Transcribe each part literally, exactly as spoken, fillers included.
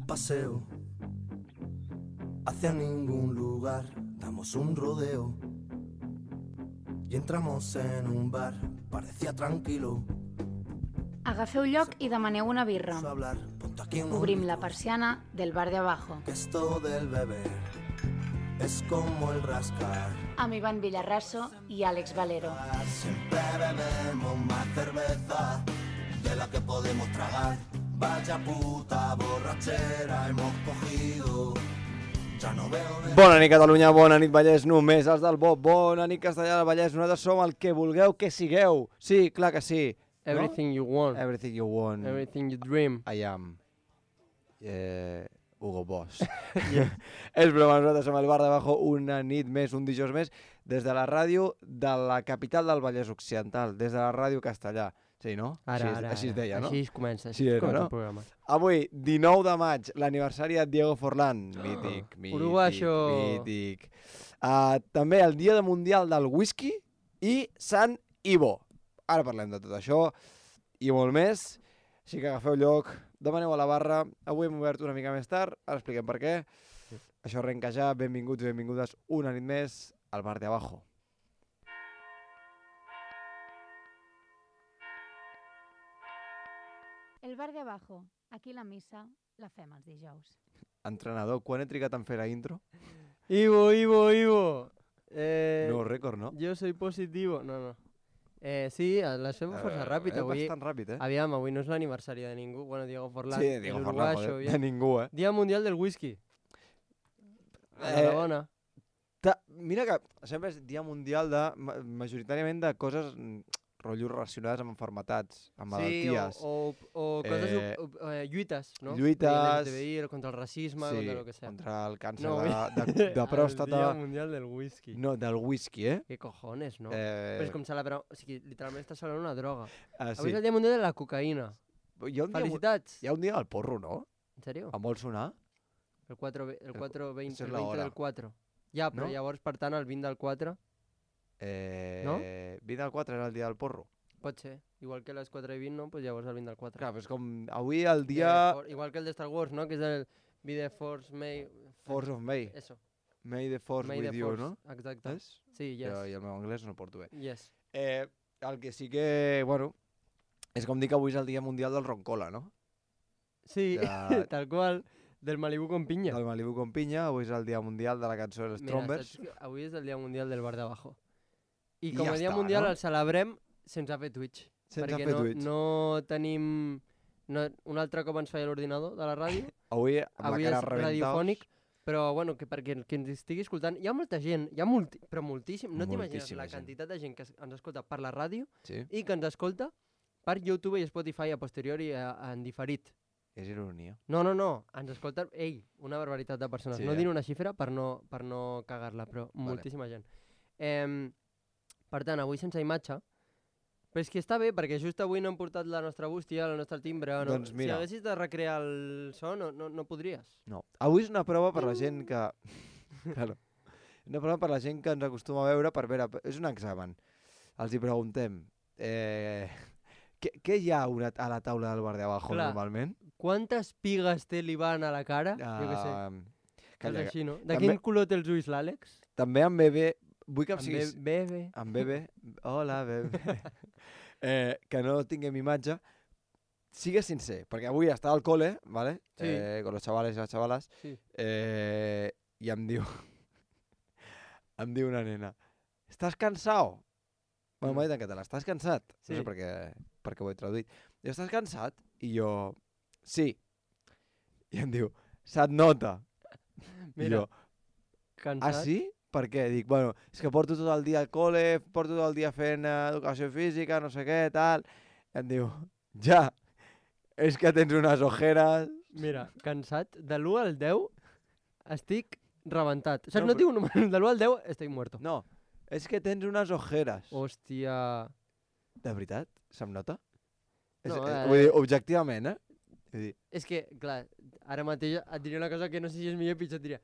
paseo hacia ningún lugar, damos un rodeo y entramos en un bar, parecía tranquilo. Agafeu lloc i demaneu una birra. Obrim la persiana del bar de abajo. Esto del beber es como el rascar. Amb Ivan Villarraso i Àlex Valero. Siempre bebemos más cerveza de la que podemos tragar. Vaya puta borrachera hemos cogido. Ja no veo de... Bona nit Catalunya, bona nit Vallès, només els del Bob. Bona nit Castellà del Vallès, nosaltres som el que vulgueu que sigueu. Sí, clar que sí. Everything no? you want. Everything you want. Everything you dream. I am. Eh, Hugo Boss. Yeah. És broma, nosaltres som el bar d'abajo una nit més, un dijous més, des de la ràdio de la capital del Vallès Occidental, des de la ràdio Castellà. Sí, no? Ara, així, ara, així es deia, no? Així es comença, així sí, es comença no? el programa. Avui, dinou de maig, l'aniversari de Diego Forlán. Mític, mític, Uruguayo. mític. Uh, també el dia mundial del whisky i Sant Ivo. Ara parlem de tot això i molt més, així que agafeu lloc, demaneu a la barra. Avui hem obert una mica més tard, ara expliquem per què. Sí. Això arrenca ja, benvinguts i benvingudes una nit més al bar de abajo. El bar de abajo, aquí la missa la fem els dijous. Entrenador, quan he trigat en fer la intro? Ivo, Ivo, Ivo! Eh, no, rècord, no? Jo soy positivo. No, no. Eh, sí, la fem força ràpid. Eh, avui, bastant ràpid, eh? Aviam, avui no és l'aniversari de ningú. Bueno, Diego Forlán. Sí, Diego Forlán, joder, de ningú, eh? Dia mundial del whisky. Eh, la bona. Mira que sempre és dia mundial de, majoritàriament de coses, rotllos relacionades amb malalties, amb malalties. Sí, o, o, o coses, eh, eh, lluites, no? Lluites. L G T B I, contra el racisme, sí, contra el que sea. contra el càncer no, de, de, de pròstata. El dia mundial del whisky. No, del whisky, eh? Què cojones, no? Eh... Però és com celebrar... O sigui, literalment estàs celebrant una droga. Ah, sí. Avui és el dia mundial de la cocaïna. Hi ha un Felicitats. Dia, hi ha un dia del porro, no? En sèrio? Em vol sonar? El quatre vint el del quatre. Ja, però no? llavors, per tant, el vint del quatre... Eh... No? vint del quatre era el dia del porro. Pot ser. Igual que les quatre i vint, no? Pues llavors el vint del quatre. Clar, però és com... Avui el dia... Eh, igual que el de Star Wars, no? Que és el Be the Force May... Force of May. Eso. May the Force May with the you, force. no? Exacte. És? Sí, yes. Jo, I el meu anglès no el porto bé. Yes. Eh, el que sí que, bueno, és com dir que avui és el dia mundial del roncola, no? Sí, de... tal qual. Del Malibu con pinya. Del Malibu con pinya, avui és el dia mundial de la cançó dels Trombers. Mira, avui és el dia mundial del bar d'abajo. I, I com ja a dia està, mundial no? el celebrem sense fer Twitch. Sense perquè fer no, Twitch. no tenim... No, un altre cop ens feia l'ordinador de la ràdio. Avui amb avui la cara és reventaos. radiofònic, però bueno, que perquè qui ens estigui escoltant... Hi ha molta gent, hi ha multi, però moltíssim. No t'imagines la gent. quantitat de gent que ens escolta per la ràdio sí. i que ens escolta per YouTube i Spotify a posteriori en diferit. És ironia. No, no, no. Ens escolta, ei, una barbaritat de persones. Sí, no eh? diré una xifra per no, per no cagar-la, però vale. Moltíssima gent. Eh, per tant, avui sense imatge, però és que està bé, perquè just avui no hem portat la nostra bústia, la nostra timbre. No? Doncs mira. Si haguessis de recrear el so, no, no, no podries. No. Avui és una prova per la gent que... claro. Una prova per la gent que ens acostuma a veure per veure... És un examen. Els hi preguntem... Eh... Què, què hi ha una, a la taula del bar de abajo Clar. Normalment? Quantes pigues té l'Ivan a la cara? Uh, jo què sé. Calla, és així, no? De també, quin color té els ulls l'Àlex? També en bebè... Vull que em en siguis... bebè. En bebè. Hola, bebè. eh, que no tinguem imatge. Sigues sincer, perquè avui està al cole, ¿vale? Sí. Eh, con los chavales y las chavalas. Sí. Eh, I em diu... em diu una nena... ¿Estàs cansado? Bueno, m'ha dit en català, estàs cansat? Sí. No sé per què, per què ho he traduït. I estàs cansat? I jo, sí. I em diu, se't nota. Mira, I jo, cansat. ah, sí? Per què? Dic, bueno, és que porto tot el dia al col·le, porto tot el dia fent uh, educació física, no sé què, tal. I em diu, ja, és que tens unes ojeres... Mira, cansat, de l'u al deu estic rebentat. Saps, No, no, no tinc un número, de l'u al deu estic muerto. No, és que tens unes ojeres. Hòstia... De veritat? Se'm nota? No, és, eh... Vull dir, objectivament, eh? Vull dir... És que, clar, ara mateix et diria una cosa que no sé si és millor o pitjor, et diria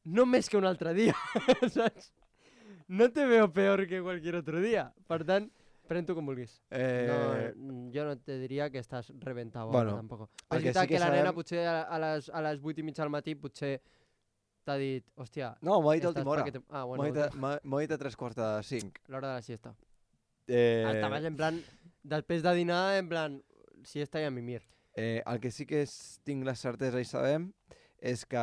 no més que un altre dia, saps? No te veo peor que cualquier otro dia. Per tant, Pren-t'ho com vulguis. Eh... No, jo no te diria que estàs reventat. Bueno, tampoc. el És que veritat sí que que la nena sabem- potser a, a, les, a les vuit i mitja del matí potser t'ha dit, hòstia... No, m'ho ha dit a estàs última hora. paquet- Ah, M'ho bueno, ha dit a- m'ha- m'ho ha dit a tres quarts de cinc. l'hora de la siesta. Eh... Estaves en plan, després de dinar, en plan, siesta i a mimir. Eh, el que sí que és, tinc la certesa i sabem és que,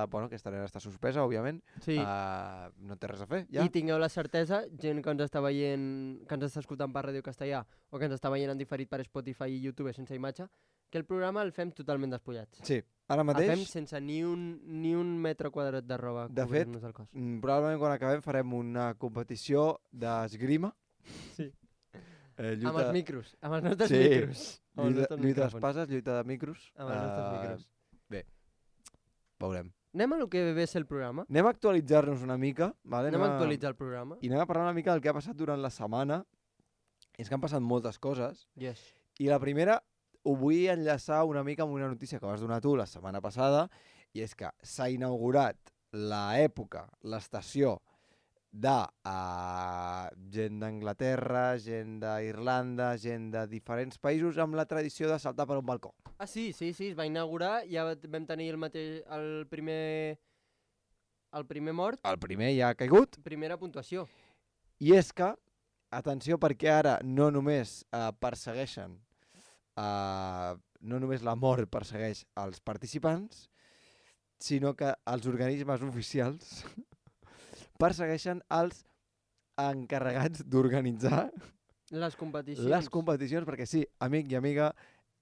bueno, aquesta nena està suspesa, òbviament. Sí, Uh, no té res a fer, ja. i tingueu la certesa, gent que ens està veient, que ens està escoltant per Ràdio Castellà o que ens està veient en diferit per Spotify i YouTube sense imatge, que el programa el fem totalment despullats. Sí, ara El mateix, fem sense ni un, ni un metre quadrat de roba De cobrint-nos el cos. mm, probablement quan acabem farem una competició d'esgrima. Sí. Eh, Amb els micros, amb els nostres Sí. micros. Amb els lluita, nostres lluita micròfons. d'espases, lluita de micros. Amb els nostres Eh, micros. Veurem. Anem a lo que ve ser el programa. Anem a actualitzar-nos una mica, vale? Anem a actualitzar el programa. I anem a parlar una mica del que ha passat durant la setmana. És que han passat moltes coses. Yes. I la primera, ho vull enllaçar una mica amb una notícia que vas donar tu la setmana passada, i és que s'ha inaugurat l'època, l'estació de uh, gent d'Anglaterra, gent d'Irlanda, gent de diferents països amb la tradició de saltar per un balcó. Ah, sí, sí, sí, es va inaugurar, ja va- vam tenir el mateix, el primer, el primer mort, El primer ja ha caigut, primera puntuació. i és que, atenció, perquè ara no només uh, persegueixen, uh, no només la mort persegueix els participants, sinó que els organismes oficials persegueixen els encarregats d'organitzar Les competicions. les competicions, perquè sí, amic i amiga,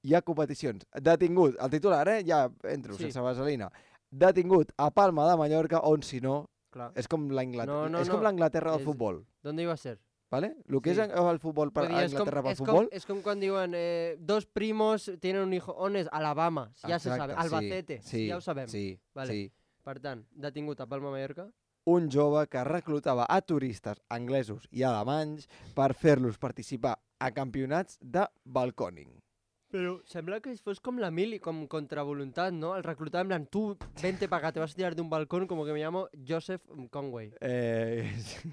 hi ha competicions. Detingut, el titular, eh? Ja entro, Sí. sense vaselina. Detingut a Palma de Mallorca, on si no, Clar. és com l'Anglaterra No, no, és com no. l'Anglaterra del És- futbol, ¿Dónde iba a ser? ¿vale? El que Sí. és el futbol per Vull dir, és com, Anglaterra pel és, com, futbol, és com quan diuen eh, dos primos tienen un hijo. On és? Alabama. Ja se Exacte, sabe. Albacete. sí, ja ho sabem. Sí, Vale. sí. Per tant, detingut a Palma, Mallorca. Un jove que reclutava a turistes anglesos i alemanys per fer-los participar a campionats de balcòning. Però sembla que fos com la mili, com contra voluntat, no? El reclutava en plan, tu, vente para acá, te vas a tirar de un balcón, como que me llamo Joseph Conway. Eh, sí.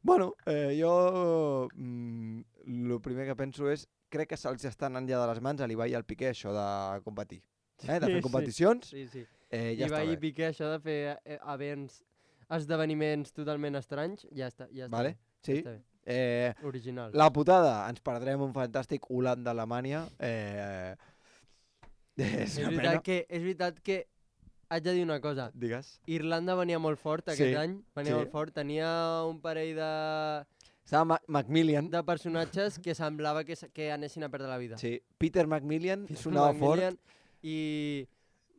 Bueno, eh, jo el primer que penso és crec que se'ls està anant ja de les mans a l'Ibai i al Piqué això de competir. Eh? De Sí, fer sí. competicions, Sí, sí. eh, I ja va està i bé. Piqué això de fer eh, events, esdeveniments totalment estranys, ja està, ja està Vale? bé. Sí? Ja està bé. Eh, Original. la putada, ens perdrem un fantàstic Holanda-Alemanya. Eh, és És una pena. veritat, que, és veritat que haig de dir una cosa. Digues. Irlanda venia molt fort aquest Sí, any, venia sí. molt fort. Tenia un parell de, Estava Ma Macmillan. de personatges que semblava que, s- que anessin a perdre la vida. Sí. Peter Macmillan Peter sonava Macmillan I...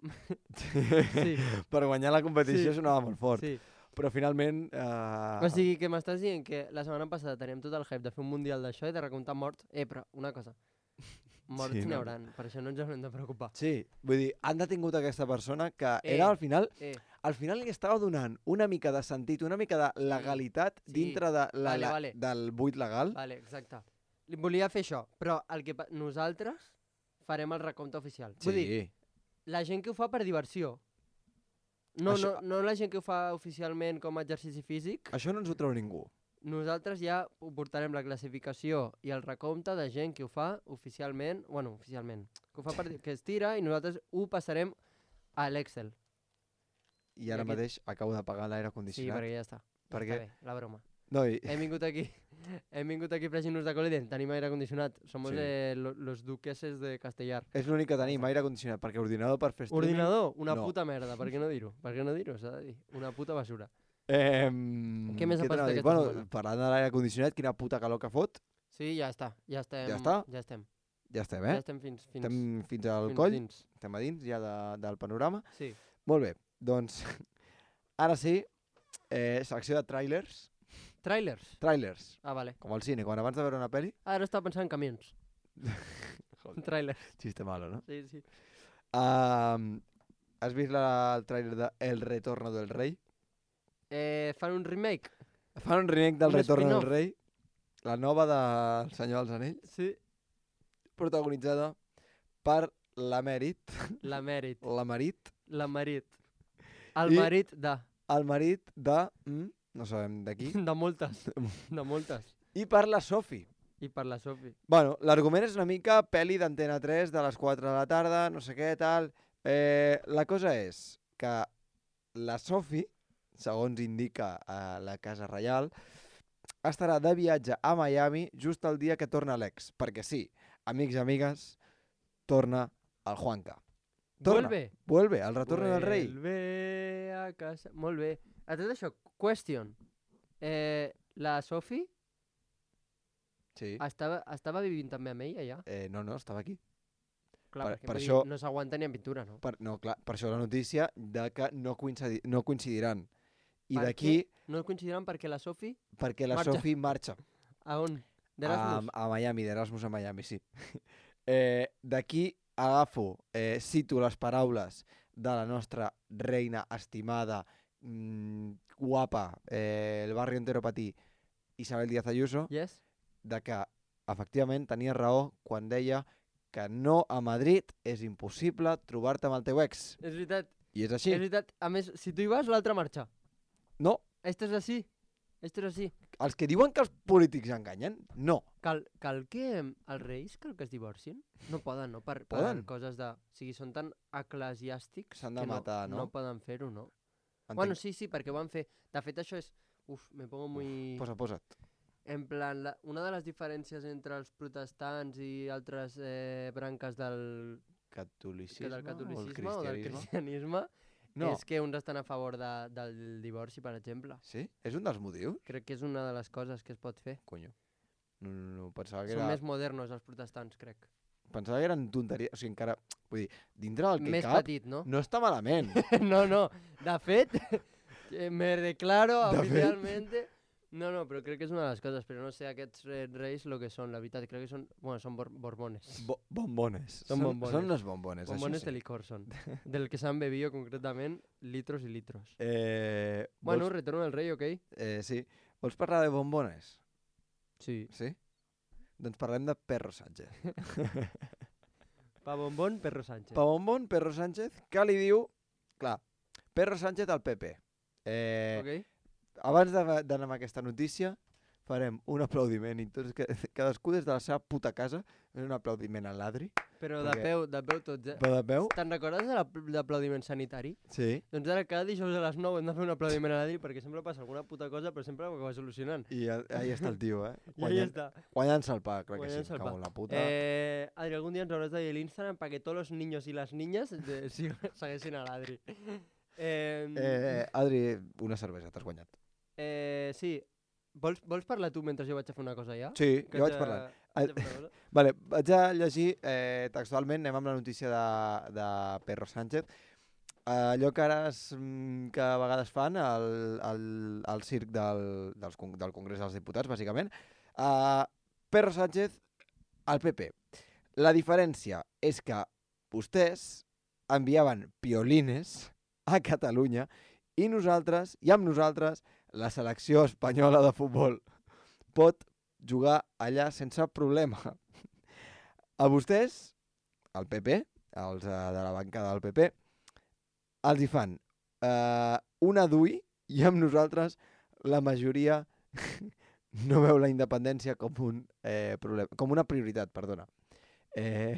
fort. Sí, Per guanyar la competició Sí. sonava molt fort. sí. Però finalment... Eh, O sigui que m'estàs dient que la setmana passada teníem tot el hype de fer un mundial d'això i de recomptar morts. Eh, però una cosa. Morts Sí, sí, n'hi no. hauran, per això no ens haurem de preocupar. Sí, vull dir, han detingut aquesta persona que Eh. era al final Eh, al final li estava donant una mica de sentit, una mica de legalitat Sí. dintre de la, Vale, la, vale. del buit legal. vale, exacte. Li volia fer això, però el que pa- nosaltres farem el recompte oficial. Vull dir, la gent que ho fa per diversió. No, Això- no, no la gent que ho fa oficialment com a exercici físic. Això no ens ho treu ningú. Nosaltres ja ho portarem la classificació i el recompte de gent que ho fa oficialment, bueno, oficialment, que ho fa per, que es tira i nosaltres ho passarem a l'Excel. I ara I aquest- mateix acabo de pagar l'aire Sí, condicionat. perquè ja està. Per Està què? bé, la broma. No, i... Hem vingut aquí, hem vingut aquí fregint-nos de col i dient, tenim aire condicionat. Somos Sí. eh, lo- los duqueses de Castellar. És l'únic que tenim, aire condicionat, perquè ordinador per fer streaming... Ordinador, una no. puta merda, per què no dir-ho? Per què no dir-ho, s'ha de dir? Una puta basura. Eh, Què més ha t'anava passat a dir? aquesta bueno, setmana? parlant de l'aire condicionat, quina puta calor que fot. Sí, ja està, ja estem. Ja està? Ja estem, Ja estem, ja eh? estem fins, fins, Estem fins al fins coll, dins. estem a dins ja de, del panorama. Sí. Molt bé, doncs ara sí, eh, secció de trailers. Trailers? Trailers, Ah, vale. com al cine, quan abans de veure una pel·li... Ara estava pensant en camions. Trailers. Chiste malo, ¿no? Sí, sí. Um, ¿Has vist la, el trailer de El Retorno del Rei? Eh, fan un remake? Fan un remake del Un Retorno del spin-off. Rei, la nova del Senyor dels Anells, Sí. protagonitzada per l'emèrit, La Mèrit. l'emarit, La Marit. El I- marit de... el marit de... Mm, no sabem de qui. De moltes. De moltes. I per la Sophie. I per la Sofi. Bueno, l'argument és una mica pel·li d'Antena tres de les quatre de la tarda, no sé què, tal. Eh, la cosa és que la Sofi, segons indica a la Casa Reial, estarà de viatge a Miami just el dia que torna l'ex. Perquè sí, amics i amigues, torna el Juanca. Torna. Vuelve. Vuelve, el retorn del rei. Vuelve a casa. Molt bé. A tot això, question. Eh, la Sofi Sí. estava, estava vivint també amb ella ja? Eh, no, no, estava aquí. Clar, Per- perquè per vull això- dir, no s'aguanta ni en pintura, no? Per, no, clar, per això la notícia de que no, coincidi, no coincidiran. I Per d'aquí, què? No coincidiran perquè la Sofi... perquè la Marxa. Sofi marxa. A on? A, D'Erasmus? a Miami, d'Erasmus a Miami, sí. Eh, d'aquí agafo, eh, cito les paraules de la nostra reina estimada, mmm, guapa, eh, el barri entero patí, Isabel Díaz Ayuso, Yes? de que efectivament tenia raó quan deia que no a Madrid és impossible trobar-te amb el teu ex. És veritat. I és així. És veritat. A més, si tu hi vas, l'altre marxa. No, Esto és així. Esto és així. els que diuen que els polítics enganyen, no. Cal, cal que els reis cal que es divorcin? No poden, no? Per, per Poden. coses de... O sigui, són tan eclesiàstics S'han de que matar, no? no poden fer-ho, no? Entenc. Bueno, sí, sí, perquè ho van fer. De fet, això és... Uf, me pongo muy... Posa, posa't. En plan, la, una de les diferències entre els protestants i altres eh, branques del, que Catolicisme, del o el catolicisme o, del cristianisme? cristianisme No. és que uns estan a favor de, del divorci, per exemple. Sí? És un dels motius? Crec que és una de les coses que es pot fer. Conyo. No, no, no, pensava que, Són era, més modernos els protestants, crec. pensava que eren tonteries. O sigui, encara... Vull dir, dintre del que Més cap, petit, no? no està malament. no, no. De fet, eh, me declaro De fet. oficialmente... No, no, però crec que és una de les coses, però no sé aquests eh, reis lo que són, la veritat, crec que són, bueno, són bor borbones. Bo bombones. Són bombones. Són unes bombones, Bombones això de sí. licor són, del que s'han bebido concretament litros i litros. Eh, Bueno, vols, retorno del rei, ok? eh, sí. Vols parlar de bombones? Sí. Sí? Doncs parlem de Perro Sánchez. Pa bombón, Perro Sánchez. Pa bombón, Perro Sánchez, que li diu... Clar, Perro Sánchez al P P. Eh, Ok? Abans de- d'anar amb aquesta notícia, farem un aplaudiment i tots, que, cadascú des de la seva puta casa, un aplaudiment a l'Adri, Però de perquè- peu, de peu tots, eh? però de peu. Te'n recordes de l'ap- l'aplaudiment sanitari? Sí. Doncs ara cada dijous a les nou hem de fer un aplaudiment a l'Adri perquè sempre passa alguna puta cosa, però sempre ho acaba solucionant. I a- ahí està el tio, eh? I ahí està. Guanyant-se el pa, clar que sí, Guanyant-se el cago pa. en la puta. Eh, Adri, algún día ens hauràs de dir l'Instagram para que tots els niños i les niñas de, sí, segueixin a l'Adri. Eh, Eh, Adri, una cervesa, t'has guanyat. eh, sí, vols, vols parlar tu mentre jo vaig a fer una cosa ja? Sí, Que jo vaig haig de- parlant. haig de fer una cosa? Vale, vaig a llegir eh, textualment, anem amb la notícia de, de Perro Sánchez. Uh, allò que ara es, mm, que a vegades fan al, al, al circ del, dels, con- del Congrés dels Diputats, bàsicament. Uh, Perro Sánchez al P P. La diferència és que vostès enviaven piolines a Catalunya i nosaltres, i amb nosaltres, la selecció espanyola de futbol pot jugar allà sense problema. A vostès, al P P, els eh, de la bancada del P P, els hi fan eh, una D U I i amb nosaltres la majoria no veu la independència com un eh, problema, com una prioritat, perdona. Eh,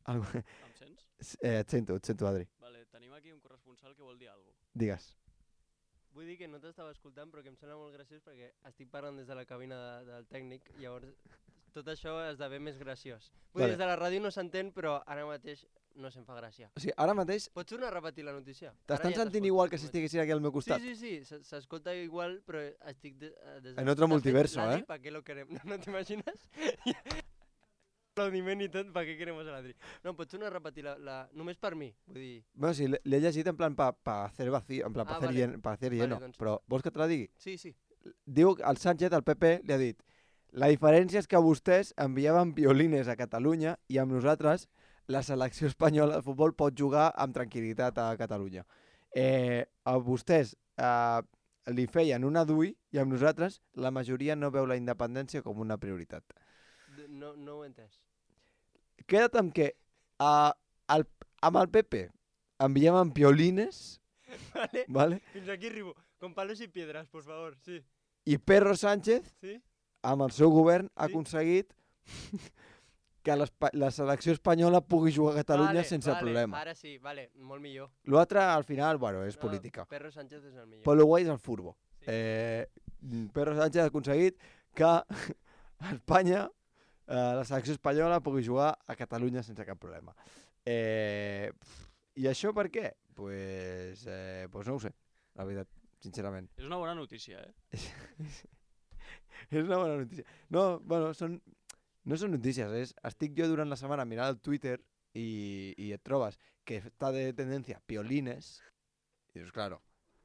algo, Em sents? eh, et sento, et sento, Adri. Vale, tenim aquí un corresponsal que vol dir alguna cosa. Digues. Vull dir que no t'estava escoltant, però que em sembla molt graciós perquè estic parlant des de la cabina de, del tècnic i llavors tot això esdevé més graciós. Vull Vale. dir, des de la ràdio no s'entén, però ara mateix no se'm fa gràcia. O sigui, ara mateix Pots tornar a repetir la notícia? t'estan Ara ja sentint t'escolto, igual que si només. estiguessin aquí al meu costat. Sí, sí, sí, se- s'escolta igual, però estic de, eh, des de... En otro de fet, multiverso, l'Adri, eh? ¿para qué lo queremos? ¿No, no t'imagines? Aplaudiment i tot, ¿para qué queremos a l'Adri? No, pots tornar a repetir la, la... Només per mi, vull dir... Bueno, sí, l'he llegit en plan pa, pa hacer vacío, en plan pa Ah, hacer, vale. llen, pa hacer Vale, lleno, doncs- però vols que te la digui? Sí, sí. Diu que el Sánchez, el P P, li ha dit la diferència és que vostès enviaven violines a Catalunya i amb nosaltres la selecció espanyola de futbol pot jugar amb tranquil·litat a Catalunya. Eh, a vostès eh, li feien una D U I i amb nosaltres la majoria no veu la independència com una prioritat. D- No, no ho he entès. Queda't amb que eh, el, amb el P P enviaven piolines, Vale. ¿vale? Fins aquí arribo. Con palos y piedras, por favor, sí. I Perro Sánchez Sí? amb el seu govern, ha aconseguit que la selecció espanyola pugui jugar a Catalunya vale, sense vale, problema. Ara sí, vale, molt millor. L'altre, al final, bueno, és No, política. Pedro Sánchez és el millor. Però el guai és el furbo. Sí. Eh, Pedro Sánchez ha aconseguit que Espanya, eh, la selecció espanyola, pugui jugar a Catalunya sense cap problema. Eh, I això per què? Pues, eh, pues no ho sé, la veritat, sincerament. És una bona notícia, eh? És una bona notícia. No, bueno, són, no són notícies, és, estic jo durant la setmana mirant el Twitter i, i et trobes que està de tendència piolines, i dius, claro,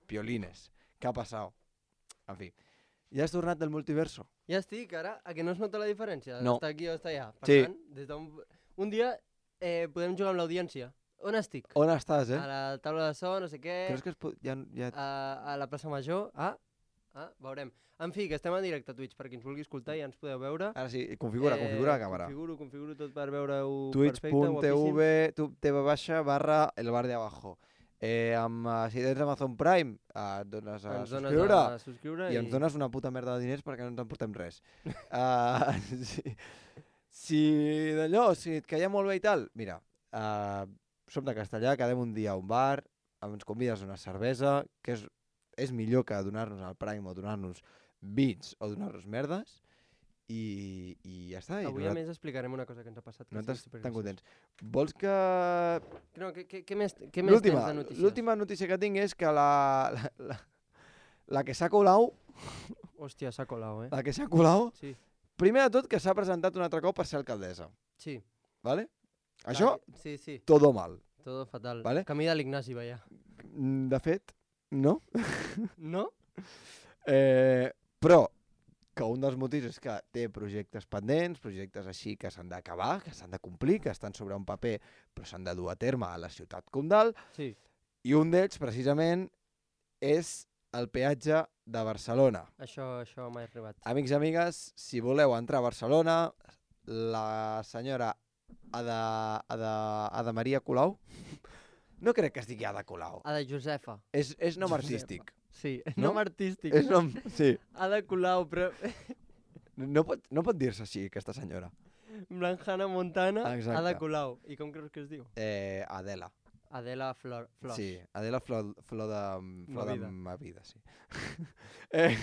piolines, què ha passat? En fi, ja has tornat del multiverso? Ja estic, ara, a que no es nota la diferència? No. Està aquí o està allà. Per Sí. tant, des d'un un dia eh, podem jugar amb l'audiència. On estic? On estàs, eh? A la taula de so, no sé què, Creus que es pot... Ja, ja... a, a la plaça Major. Ah, ah, veurem. En fi, que estem en directe a Twitch, per qui ens vulgui escoltar ja ens podeu veure. Ara sí, configura, configura la càmera. Configuro, configuro tot per veure-ho Twitch perfecte, punt t guapíssim. v, tv baixa, barra el bar de abajo. Eh, amb, uh, si tens Amazon Prime, uh, et dones a Ens dones subscriure a subscriure i ens dones una puta merda de diners perquè no ens en portem res. uh, si si d'allò, si et caia molt bé i tal, mira, uh, som de Castellà, quedem un dia a un bar, ens convides a una cervesa, que és, és millor que donar-nos al Prime o donar-nos vins o donar-nos merdes, i, i ja està. I Avui a nosaltres- més explicarem una cosa que ens ha passat. que nosaltres sí, tan supergraciós. contents. Vols que... No, què, què, què més, què més tens L'última de notícies? l'última notícia que tinc és que la, la, la, la que s'ha colau, Hòstia, s'ha colau, eh? la que s'ha colau, Sí, primer de tot que s'ha presentat un altre cop per ser alcaldessa, sí. ¿vale? Això, Clar, Sí, sí, todo mal. todo fatal. Vale. Camí de l'Ignasi, veia. Mm, De fet, no. No? Eh, però que un dels motius és que té projectes pendents, projectes així que s'han d'acabar, que s'han de complir, que estan sobre un paper però s'han de dur a terme a la ciutat comtal, Sí. i un d'ells precisament és el peatge de Barcelona. Això, això m'ha arribat. Amics i amigues, si voleu entrar a Barcelona, la senyora Ada, Ada, Ada Maria Colau, no crec que es digui Ada Colau, Ada Josefa. és, és nom Josefa. artístic. Sí, No? nom artístic. És nom, sí. Ada Colau, però... No pot, no pot dir-se així, aquesta senyora. Blanjana Montana, Exacte. Ada Colau. I com creus que es diu? Eh, Adela. Adela Flor, Flors. Sí, Adela Flor, flor de, flor de Movida. ma vida, sí. eh,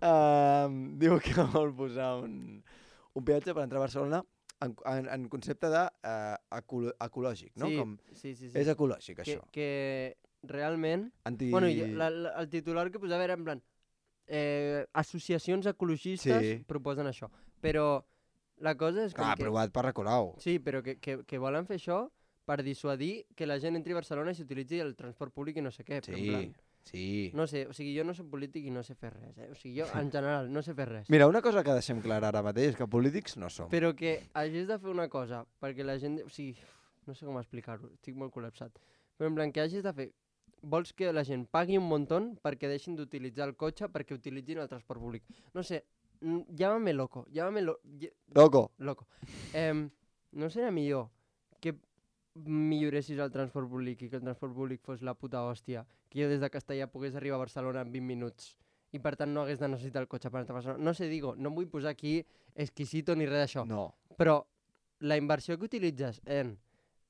um, diu que vol posar un, un peatge per entrar a Barcelona en, en, en concepte de uh, ecolo ecològic, no? Sí, Com, sí, sí, sí. és ecològic, que, això. que realment... Anti... Bueno, i la, la, el titular que posava era en plan... Eh, associacions ecologistes Sí. proposen això. Però la cosa és com Clar, que... aprovat per Colau. Sí, però que, que, que volen fer això per dissuadir que la gent entri a Barcelona i s'utilitzi el transport públic i no sé què. Però en Sí, plan, sí. no sé, o sigui, jo no soc polític i no sé fer res, eh? O sigui, jo en general no sé fer res. Mira, una cosa que deixem clara ara mateix és que polítics no som. Però que hagis de fer una cosa perquè la gent... O sigui, no sé com explicar-ho, estic molt col·lapsat. Però en plan, que hagis de fer... Vols que la gent pagui un muntó perquè deixin d'utilitzar el cotxe perquè utilitzin el transport públic. No sé, mm, llámame loco, llámame lo... ll- Loco. loco. Eh, no seria millor que milloressis el transport públic i que el transport públic fos la puta hòstia, que jo des de Castellà pogués arribar a Barcelona en vint minuts i per tant no hagués de necessitar el cotxe per entrar a Barcelona. No sé, digo, no em vull posar aquí exquisito ni res d'això, No. però la inversió que utilitzes en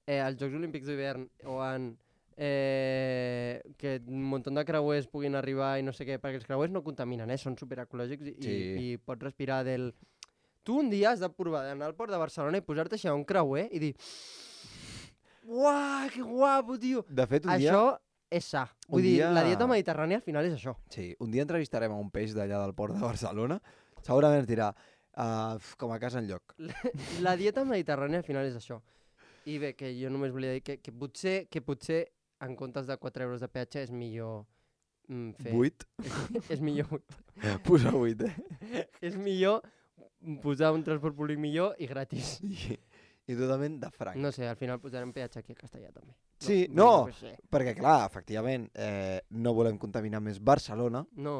eh, els Jocs Olímpics d'hivern o en eh, que un munt de creuers puguin arribar i no sé què, perquè els creuers no contaminen, eh? Són superecològics i, Sí. i, i pots respirar del... Tu un dia has de provar d'anar al port de Barcelona i posar-te així a un creuer i dir uah, que guapo, tio! De fet, un dia... Això és sa. Vull un dir, dia- la dieta mediterrània al final és això. Sí, un dia entrevistarem a un peix d'allà del port de Barcelona. Segurament ens dirà, uh, com a casa enlloc. La dieta mediterrània al final és això. I bé, que jo només volia dir que, que, potser, que potser en comptes de quatre euros de peatge és millor mm, fer... Vuit? És, és millor Posa vuit, eh? és millor posar un transport públic millor i gratis. I, i totalment de franc. No sé, al final posarem peatge aquí a Castellà també. Sí, vull no, dir, pues, eh, perquè clar, efectivament, eh, no volem contaminar més Barcelona, no,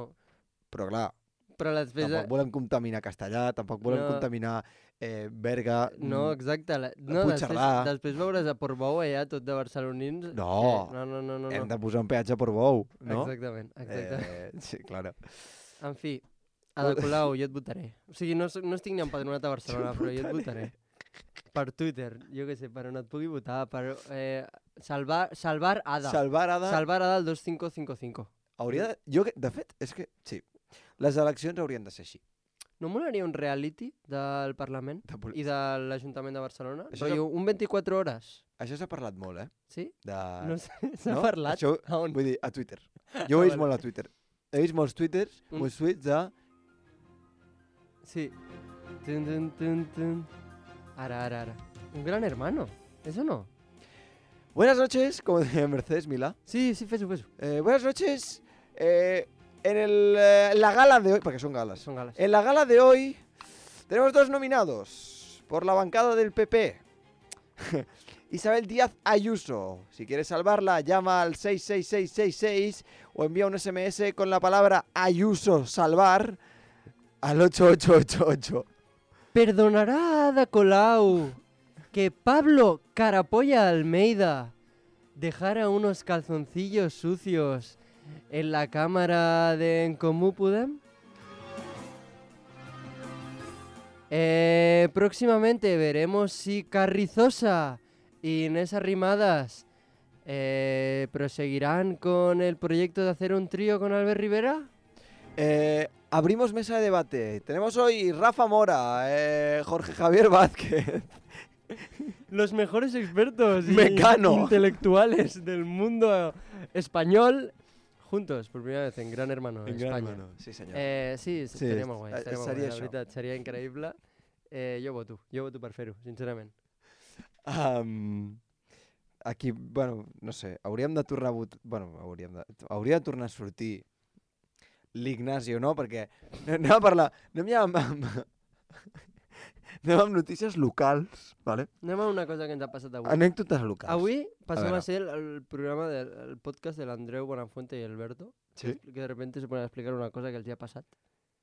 però clar, però després... tampoc volem contaminar Castellà, tampoc volem No. contaminar eh, Berga. No, exacte. La, no, després, Puigcerdà. després veuràs a Portbou allà tot de barcelonins. No. Que, no, no, no, no. Hem no. de posar un peatge per bou, no? Exactament, exactament. Eh, sí, claro. En fi, Ada Colau, jo et votaré. O sigui, no, no estic ni empadronat a Barcelona, però jo et votaré. Per Twitter, jo què sé, per on et pugui votar, per eh, salvar, salvar Ada. Salvar Ada... Salvar Ada al dos cinco cinco cinco. Hauria de... Jo, de fet, és que sí. Les eleccions haurien de ser així. No molaria un reality del Parlament De pol- i de l'Ajuntament de Barcelona? Això Rotllo, un vint-i-quatre hores, Això s'ha parlat molt, eh? sí? De... No sé, s'ha no? parlat? Això, A on? vull dir, a Twitter. Jo ho he vist vale. molt a Twitter. He vist molts twitters, Un- molts tuits de... Sí. Tun, tun, tun, tun. Ara, ara, ara. Un gran hermano, ¿eso no? Buenas noches, como decía Mercedes Milá. Sí, sí, fes-ho, fes-ho. Eh, buenas noches. Eh, en el, eh, la gala de hoy, porque son galas. Són gales. En la gala de hoy tenemos dos nominados por la bancada del P P. Isabel Díaz Ayuso. Si quieres salvarla, llama al seis seis seis seis seis o envía un S M S con la palabra Ayuso salvar al ocho ocho ocho ocho. Perdonará Ada Colau que Pablo Carapolla Almeida dejara unos calzoncillos sucios en la cámara de En Comú Podem. Eh, próximamente veremos si Carrizosa y Inés Arrimadas eh, proseguirán con el proyecto de hacer un trío con Albert Rivera. Eh, abrimos mesa de debate. Tenemos hoy Rafa Mora, eh, Jorge Javier Vázquez. Los mejores expertos y Mecano. intelectuales del mundo español juntos por primera vez en Gran Hermano, En España. Gran Hermano, sí senyor. Eh, sí, Sí, seria molt guai, eh, seria, molt seria guai, la això. veritat, seria increïble. Eh, jo voto, jo voto per fer-ho, sincerament. Um, aquí, bueno, no sé, hauríem de tornar a votar... Bueno, hauríem de... Hauria de tornar a sortir l'Ignasi o no, perquè anem a parlar... Anem ja amb, amb, anem amb notícies locals, vale? Anem a una cosa que ens ha passat avui. Anècdotes locals. Avui passem veure. a, ser el, el programa del el podcast de l'Andreu Buenafuente i Alberto, Sí? que de repente se ponen a explicar una cosa que els hi ha passat.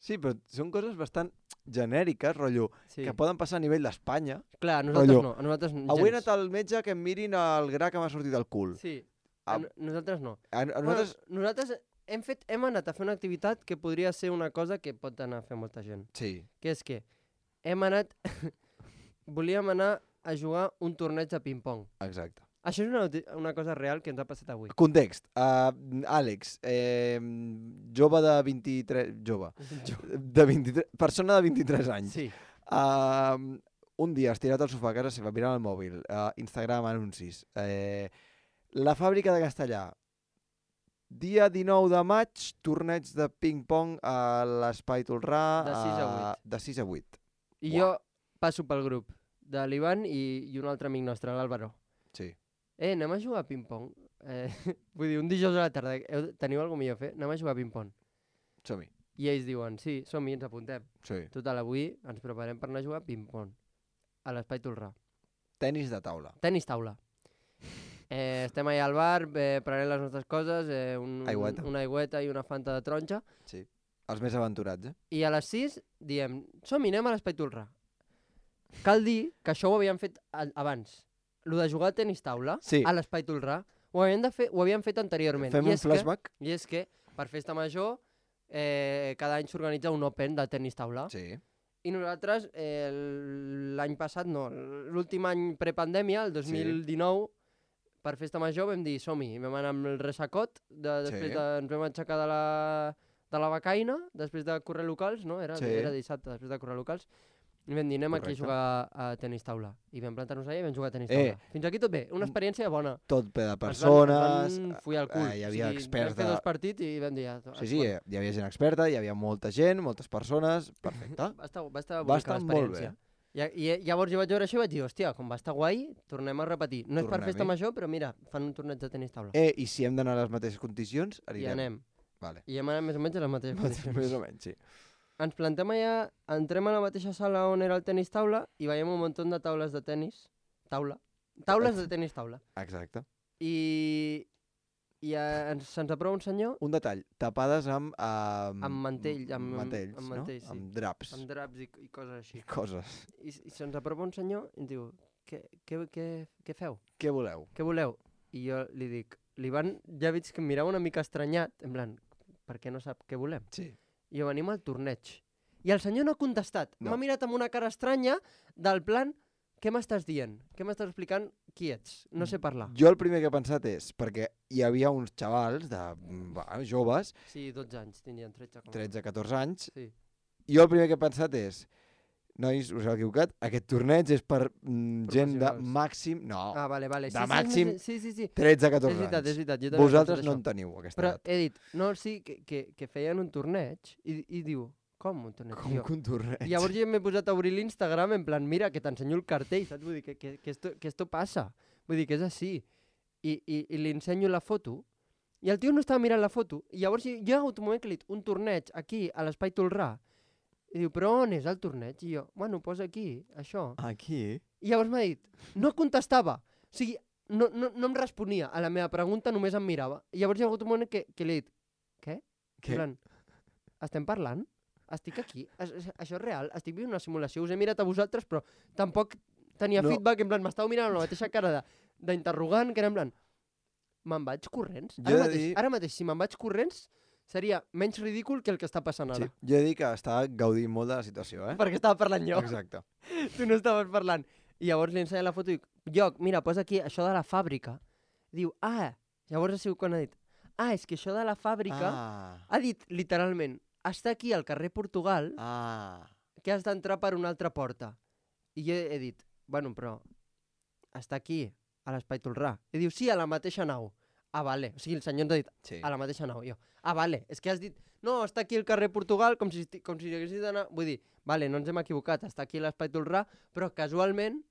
Sí, però són coses bastant genèriques, rotllo, Sí. que poden passar a nivell d'Espanya. Clar, a nosaltres Rotllo, no, a nosaltres gens. Avui he anat al metge que em mirin el gra que m'ha sortit del cul. Sí, A, a, no- nosaltres no. a, a nosaltres... Bueno, nosaltres hem, fet, hem anat a fer una activitat que podria ser una cosa que pot anar a fer molta gent. Sí. Que és que hem anat... volíem anar a jugar un torneig de ping-pong. Exacte. Això és una, noti- una cosa real que ens ha passat avui. Context. Uh, Àlex, eh, jove de vint-i-tres... Jove. De vint-i-tres, persona de vint-i-tres anys. Sí. Uh, un dia estirat al sofà a casa seva, mirant el mòbil, uh, Instagram, anuncis. Eh, la fàbrica de Castellà. Dia dinou de maig, torneig de ping-pong a l'Espai Tolrà. De sis a vuit. De sis a vuit. I jo passo pel grup de l'Ivan i, i un altre amic nostre, l'Àlvaro. Sí. Eh, anem a jugar a ping-pong. Eh, vull dir, un dijous a la tarda, heu, teniu alguna millor a fer? Anem a jugar a ping-pong. Som-hi. I ells diuen, sí, som-hi, ens apuntem. Sí. Total, avui ens preparem per anar a jugar a ping-pong. A l'Espai Tolrà. Tenis de taula. Tenis taula. Eh, estem allà al bar, eh, prenent les nostres coses, eh, un, Aigüeta. una aigüeta i una fanta de taronja, Sí. Els més aventurats, eh? i a les sis diem, som-hi, anem a l'Espai Tolrà. Cal dir que això ho havíem fet a- abans. Lo de jugar a tenis taula Sí. a l'Espai Tolrà ho havíem, de fer, ho havíem fet anteriorment. Fem I un és flashback? Que, I és que per festa major eh, cada any s'organitza un Open de tenis taula. Sí. I nosaltres eh, l'any passat, no, l'últim any prepandèmia, el dos mil dinou, per festa major vam dir som-hi. Vam anar amb el resacot, de, després Sí. de, ens vam aixecar de la, de la becaina, després de córrer locals, no? Era, Sí. era dissabte, després de córrer locals. I vam dir, anem aquí a Correcte. jugar a, a tenis taula. I vam plantar-nos allà i vam jugar a tenis Eh. taula. Fins aquí tot bé, una experiència bona. Tot ple de Ens van- persones. Ens van follar el cul. eh, hi havia o sigui, experts Vam fer de- dos partits i vam dir... Ja, Sí, sí, eh, hi havia gent experta, hi havia molta gent, moltes persones, perfecte. Va estar, va estar Va bonica estar molt l'experiència. I, I llavors jo vaig veure això i vaig dir, hòstia, com va estar guai, tornem a repetir. No és per Tornem-hi. festa major, però mira, fan un torneig de tenis taula. Eh, i si hem d'anar a les mateixes condicions, I anirem. anem. Vale. I hem anat més o menys a les mateixes condicions. Més o menys, sí. Ens plantem allà, entrem a la mateixa sala on era el tenis taula i veiem un munt de taules de tenis. Taula. Taules de tenis taula. Exacte. I, i eh, ens, se'ns aprova un senyor Un detall, tapades amb... Amb, amb mantell, amb, mantells, amb no? mantells, sí. Amb draps, amb draps i, i coses així. coses. I, i se'ns aprova un senyor i ens diu, què, què, què, què feu? Què voleu? Què voleu? I jo li dic, l'Ivan ja veig que em mirava una mica estranyat, en plan, per què no sap què volem? Sí. I jo venim al torneig. I el senyor no ha contestat. No. M'ha mirat amb una cara estranya del plan, què m'estàs dient? Què m'estàs explicant? Qui ets? No sé parlar. Jo el primer que he pensat és, perquè hi havia uns xavals de va, joves, Sí, dotze anys, tindrien tretze. Com... tretze a catorze anys, Sí. i jo el primer que he pensat és, nois, us heu equivocat, aquest torneig és per mm, gent de Professionals. màxim, no, Ah, vale, vale. de sí, màxim Sí, sí, sí. sí. tretze a És catorze veritat, és anys. veritat. Jo també he Vosaltres pensat no això. en teniu aquesta Però edat. he dit, no, sí, que, que, que feien un torneig i, i diu, com un torneig? Com Jo. que un torneig? I llavors jo m'he posat a obrir l'Instagram en plan, mira, que t'ensenyo el cartell, saps? Vull dir, que, que, que, esto, que esto passa. Vull dir, que és així. I, i, i li ensenyo la foto, i el tio no estava mirant la foto, i llavors jo, jo hi ha hagut un moment que li he dit, un torneig aquí, a l'Espai Tolrà, i diu, però on és el torneig? I jo, bueno, posa aquí, això. Aquí? I llavors m'ha dit, no contestava. O sigui, no, no, no em responia a la meva pregunta, només em mirava. I llavors hi ha hagut un moment que, que li he dit, què? Què? En plan, estem parlant? Estic aquí? Es, es, això és real? Estic vivint una simulació? Us he mirat a vosaltres, però tampoc tenia No. feedback, en plan, m'estava mirant amb la mateixa cara de- d'interrogant, que era en plan, me'n vaig corrents? Jo Ara he de mateix, dir- ara mateix, si me'n vaig corrents, seria menys ridícul que el que està passant Sí. ara. Jo he dit que estava gaudint molt de la situació, eh? Perquè estava parlant jo. Exacte. Tu no estaves parlant. I llavors li ensenya la foto i dic, Lloc, mira, posa aquí això de la fàbrica. Diu, ah, llavors ha sigut quan ha dit, ah, és que això de la fàbrica, Ah, ha dit literalment, està aquí al carrer Portugal, ah. que has d'entrar per una altra porta. I jo he dit, bueno, però està aquí, a l'Espai Tolrà. I diu, sí, a la mateixa nau. Ah, vale. O sigui, el senyor ens ha dit, Sí. a la mateixa nau. Jo, ah, vale, és que has dit, no, està aquí al carrer Portugal, com si, esti- com si haguessis d'anar... Vull dir, vale, no ens hem equivocat, està aquí a l'Espai Tolrà, però casualment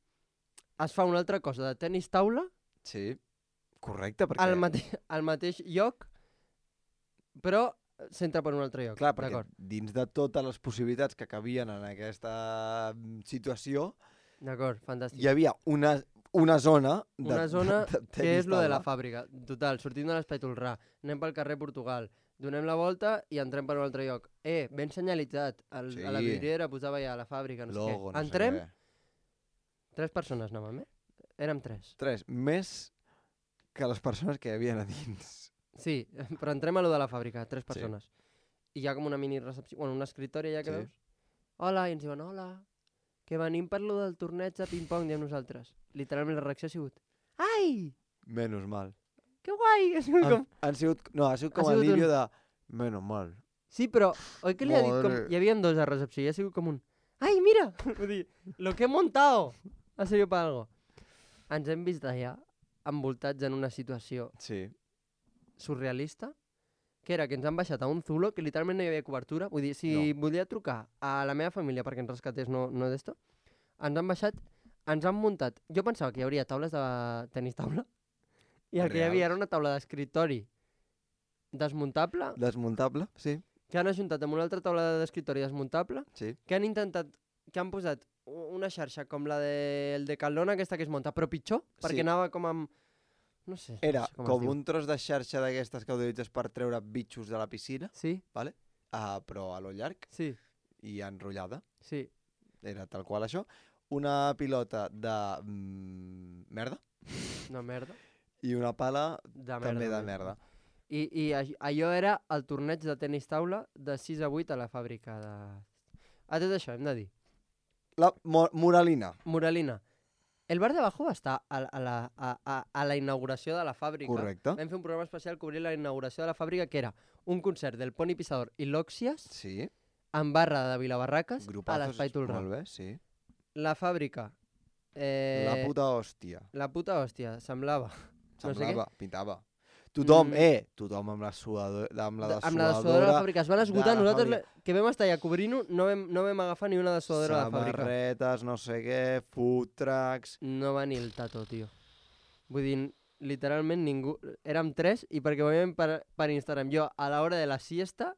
es fa una altra cosa de tenis taula Sí. Correcte, perquè... al, mate al mateix lloc, però s'entra per un altre lloc. Clar, perquè D'acord, dins de totes les possibilitats que cabien en aquesta mm, situació, d'acord, fantàstic. hi havia una, una zona... De, Una zona de, de que tenis és lo de la taula. fàbrica. Total, sortim de l'Espai Tolrà, anem pel carrer Portugal, donem la volta i entrem per un altre lloc. Eh, ben senyalitzat. El, Sí. A la vidriera posava ja la fàbrica, no Logo, sé què. no Entrem, sé què. tres persones anàvem, eh? Érem tres. Tres, més que les persones que hi havia a dins. Sí, però entrem a lo de la fàbrica, tres persones. I hi ha com una mini recepció, bueno, una escriptòria ja que Sí. veus. Hola, i ens diuen, hola, que venim per lo del torneig de ping-pong, diem nosaltres. Literalment la reacció ha sigut, ai, Menos mal. que guai! Ha sigut com... Han, han sigut, no, ha sigut Ha com sigut el un- vídeo de... Menos mal. Sí, però oi que li ha dit com... Madre. Hi havia dos a recepció i ha sigut com un... Ai, mira! Vull dir, lo que he montado ha servit per algo. Ens hem vist allà envoltats en una situació Sí. surrealista, que era que ens han baixat a un zulo, que literalment no hi havia cobertura. Vull dir, si volia trucar a la meva família perquè ens rescatés, no, no d'esto, ens han baixat, ens han muntat... Jo pensava que hi hauria taules de tenis taula, i el que hi havia era una taula d'escriptori desmuntable, Desmuntable, sí. que han ajuntat amb una altra taula d'escriptori desmuntable, Sí. que han intentat, que han posat u- una xarxa com la del de Calona, aquesta que es munta, però pitjor, perquè Sí. anava com amb... No sé, Era no sé com, es com diu. un tros de xarxa d'aquestes que utilitzes per treure bitxos de la piscina, Sí, vale? Uh, però a lo llarg sí, i enrotllada. sí. Era tal qual això. Una pilota de mm, merda Una merda. i una pala De merda. també de també. merda. I, i a- allò era el torneig de tenis taula de sis a vuit a la fàbrica de... A tot això, hem de dir. La mo moralina. Moralina. El bar de abajo va estar a, a, la, a, a, a la inauguració de la fàbrica. Correcte. Vam fer un programa especial cobrint la inauguració de la fàbrica, que era un concert del Pony Pisador i l'Òxies Sí. en barra de Vilabarraques a Grupazos. l'Espai Tolrà. Molt bé, sí. La fàbrica. Eh, La puta hòstia. La puta hòstia, semblava. no sé què. Semblava, pintava. Tothom, Mm. eh, tothom amb la suadora, amb la De- dessuadora. amb la dessuadora de la fàbrica. Es van de esgotar. la Nosaltres, fàbrica. le- que vam estar allà cobrint-ho, no vam, no vam agafar ni una dessuadora de la fàbrica. Samarretes, no sé què, food trucks... No va ni el tato, tio. Vull dir, literalment ningú... Érem tres i perquè ho veiem per, per Instagram. Jo, a l'hora de la siesta,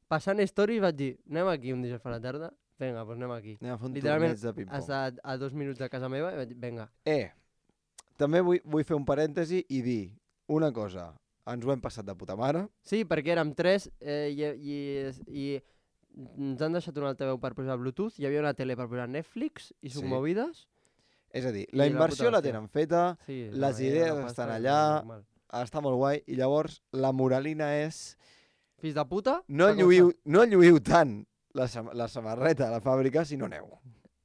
passant stories, vaig dir, anem aquí un dijous a la tarda? Vinga, doncs anem aquí. Anem a fer un Literalment, torneig de ping-pong. Està a dos minuts de casa meva i vaig dir, vinga. Eh, també vull, vull fer un parèntesi i dir una cosa. Ens ho hem passat de puta mare. Sí, perquè érem tres eh, i, i, i ens han deixat un altaveu per posar Bluetooth, hi havia una tele per posar Netflix i Sí. submovides. És a dir, I la la inversió puta la hòstia. tenen feta, Sí, Les no, hi ha idees una pasta estan que allà. normal. està molt guai, i llavors la moralina és Fills de puta? no fa com lluïu, no lluïu tant la, sam la samarreta a la fàbrica si no aneu.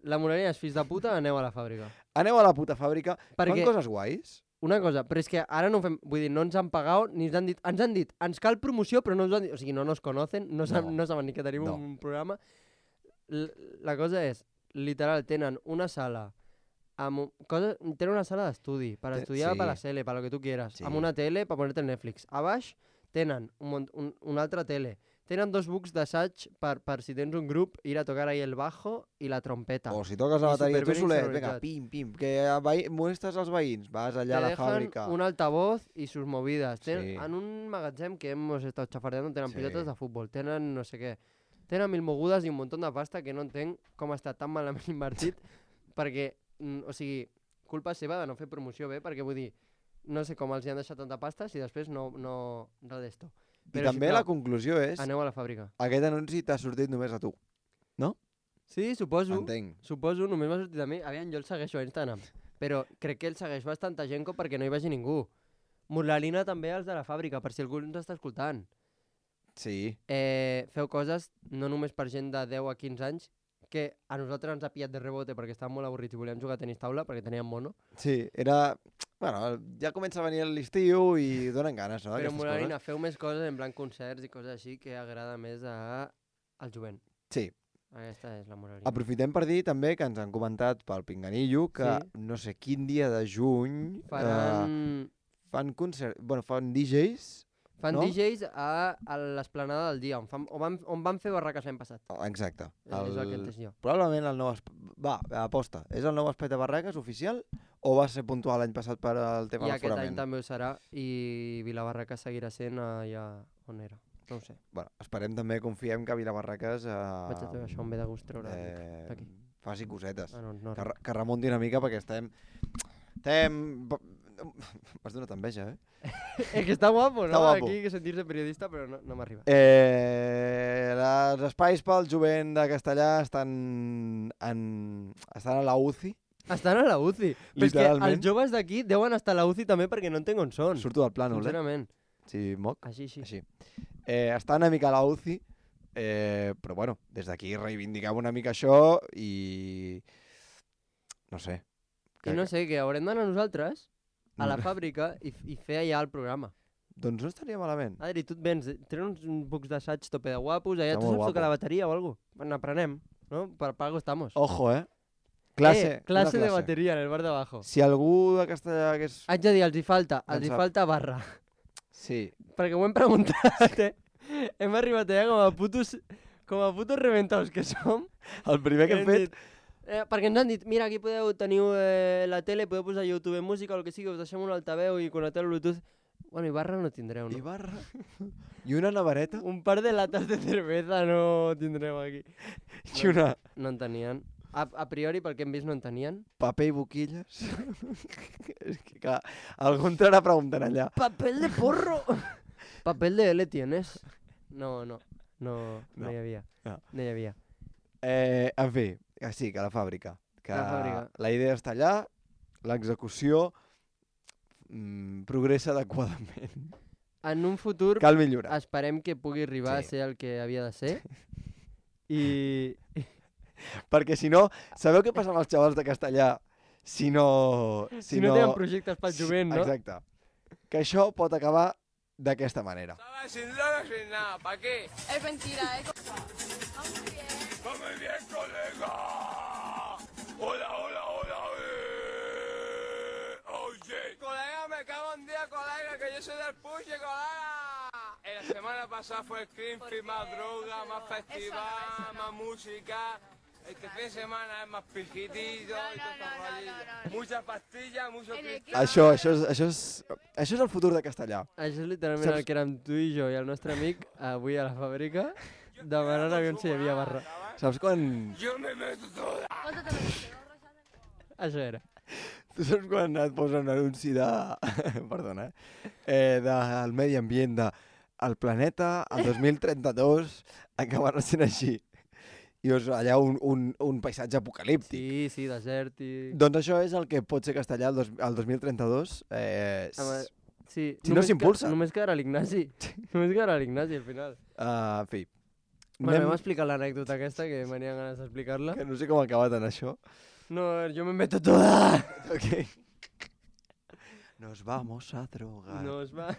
La moraleja és, fills de puta, aneu a la fàbrica. Aneu a la puta fàbrica, Perquè... fan coses guais. Una cosa, però és que ara no fem... Vull dir, no ens han pagat ni ens han dit... Ens han dit, ens cal promoció, però no ens han dit... O sigui, no nos conocen, no, sab, No. no saben ni que tenim No. un programa. L la cosa és, literal, tenen una sala... Amb un, cosa, tenen una sala d'estudi per Ten- estudiar sí. per la tele, per lo que tu quieras. Sí. Amb una tele per ponerte el Netflix. A baix tenen un, mont- un, una altra tele. Tenen dos bucs d'assaig per, per si tens un grup, ir a tocar ahí el bajo i la trompeta. O si toques la I bateria tu superben solet, insonoritzat. vinga, pim, pim, que a veí- molestes els veïns, vas allà a la Te dejan fàbrica. un altavoz y sus movidas. Ten, Sí. En un magatzem que hemos estado chafardeando tenen Sí. pilotes de futbol, tenen no sé què. Tenen mil mogudes i un munt de pasta que no entenc com està tan malament invertit perquè, mm, o sigui, culpa seva de no fer promoció bé, perquè vull dir, no sé com els hi han deixat tanta pasta si després no, no res d'esto. I també la conclusió és, Aneu a la fàbrica. aquest anunci t'ha sortit només a tu. Sí, suposo. Entenc. Suposo, només m'ha sortit a mi. Aviam, jo el segueixo a Instagram. Però crec que el segueix bastanta gent com perquè no hi vagi ningú. Morlalina també als de la fàbrica, per si algú ens està escoltant. Sí. Eh, feu coses no només per gent de deu a quinze anys, que a nosaltres ens ha pillat de rebote perquè estàvem molt avorrits i volíem jugar a tenis taula perquè teníem mono. Sí, era... Bueno, ja comença a venir l'estiu i donen ganes, no? Però aquestes Morlalina, coses. feu més coses en plan concerts i coses així que agrada més a... al jovent. Sí. Aquesta és la Morlalina. Aprofitem per dir també que ens han comentat pel Pinganillo que Sí. no sé quin dia de juny eh, Faran... fan concert... Bueno, fan D Js. Fan no? D Js a, a l'esplanada del dia, on, fan, on, van, on van fer barraques l'any passat. Oh, exacte. El... És el que he entès jo. Probablement el nou... Esp... Va, aposta. És el nou espai de barraques oficial o va ser puntual l'any passat per al tema I de aquest any l'aforament? també ho serà i Vilabarraca seguirà sent allà on era. No ho sé. Bueno, esperem també, confiem que Vilabarraques eh, Vaig a treure això, em ve de gust treure eh, d'aquí. faci cosetes. Ah, no, no. Que, re- que remunti una mica perquè estem... Estem... M'has donat enveja, eh? És que està guapo, no? Està guapo. Aquí que sentir-se periodista, però no, no m'arriba. Eh, els espais pel jovent de Castellà estan, en, estan a la U C I. Estan a la U C I. Però és que Literalment. els joves d'aquí deuen estar a la U C I també perquè no entenc on són. Surto del plànol, eh? Sincerament. Sí, moc. Així, sí. Així. Eh, està una mica a la U C I, eh, però bueno, des d'aquí reivindiquem una mica això i... No sé. I no sé, que haurem d'anar nosaltres a la No. fàbrica i, i fer allà el programa. Doncs no estaria malament. Adri, tu et vens, tenen uns bucs d'assaig tope de guapos, allà Està tu molt saps tocar guapo. la bateria o alguna cosa? Bueno, aprenem, no? Per pago estamos. Ojo, eh? Classe. eh, clase una de bateria en el bar de abajo. Si algú de Castellà hagués... Haig de dir, els hi falta, En els hi sap. falta barra. Sí. Perquè ho hem preguntat, eh? Hem arribat allà com a putos, com a putos reventaus que som. El primer que hem fet... dit, eh, perquè ens han dit, mira, aquí podeu, teniu eh, la tele, podeu posar YouTube música o el que sigui, us deixem un altaveu i connecteu el Bluetooth. Bueno, i barra no tindreu, no? I barra. I una nevareta. Un par de latas de cerveza no tindreu aquí. I una... No en tenien. A, a priori, pel que hem vist, no en tenien. Paper i boquilles. És que, clar, algú entrarà preguntant allà. Papel de porro! Papel de L tienes? No, no. No, no, No. hi havia. No. No hi havia. Eh, en fi, que sí, que la fàbrica. Que La fàbrica. la idea està allà, l'execució mm, progressa adequadament. En un futur Cal millorar. esperem que pugui arribar Sí. a ser el que havia de ser. I... Perquè si no, sabeu què passa amb els xavals de Castellà? Si no... Si, no, tenen projectes pel jovent, no? Exacte. Que això pot acabar d'aquesta manera. Sin lana, sin nada, ¿para qué? Es mentira, ¿eh? ¡Va muy bien, colega! ¡Hola, hola, hola! Eh. ¡Oye! Colega, me cago en día, colega, que yo soy del puche, colega. Eh, La semana pasada fue el Greenfield, más droga, más festival, más música. Este fin de semana es más pijitito y todo no, estos no, rollos. no, no. Muchas pastillas, mucho En el cristal. Això, això, és, això, és, això és el futur de Castellà. Això és literalment Saps- el que érem tu i jo i el nostre amic avui a la fàbrica demanant aviam si hi havia barra. Saps quan... Yo me meto toda. Això era. Tu saps quan et posen un anunci de... Perdona, eh? eh del medi ambient, de el planeta, el dos mil trenta-dos, acabarà sent així. I és allà un, un, un paisatge apocalíptic. Sí, sí, desèrtic. Doncs això és el que pot ser Castellà el, dos, el dos mil trenta-dos. Eh, Home, sí. Si no només s'impulsa. que- Només quedarà l'Ignasi. Només quedarà l'Ignasi al final. uh, en fi, Bueno, Anem- vam explicar l'anècdota aquesta, que m'anien ganes d'explicar-la. Que no sé com ha acabat en això. No, yo me meto toda. Ok. Nos vamos a drogar. No es va...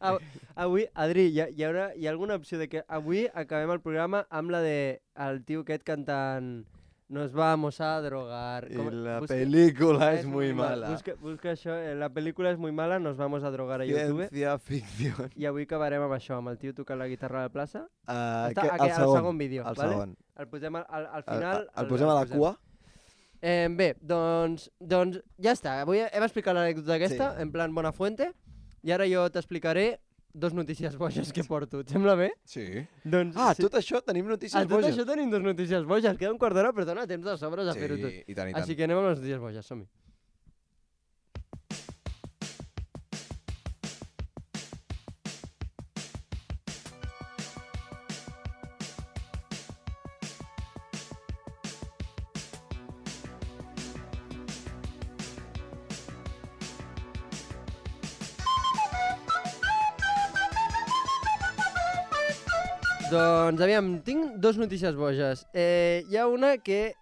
Av- Avui, Adri, hi ha, hi, haurà, hi ha alguna opció de que avui acabem el programa amb la de el tio aquest cantant Nos vamos a drogar. Y Com- la busca- película es es muy mal. mala. Busca, busca això, eh, la pel·lícula és muy mala, nos vamos a drogar a YouTube. Ciencia ficción. I avui acabarem amb això, amb el tio tocant la guitarra a la plaça. Uh, Està aquí, al segon vídeo, El vale? segon. El posem al, al, al El, final. el, el posem a la cua. Eh, bé, doncs, doncs ja està. Avui hem explicat l'anècdota aquesta, Sí. en plan bona fuente, i ara jo t'explicaré dos notícies boges que porto. Et sembla bé? Sí. Doncs, Ah, sí. tot això tenim notícies A tot boges. això tenim dos notícies boges. Queda un quart d'hora, però dona temps de sobres a Sí, fer-ho tot. i tant, i tant. Així que anem amb les notícies boges, som-hi. Doncs, aviam, tinc dos notícies boges. Eh, hi ha una que...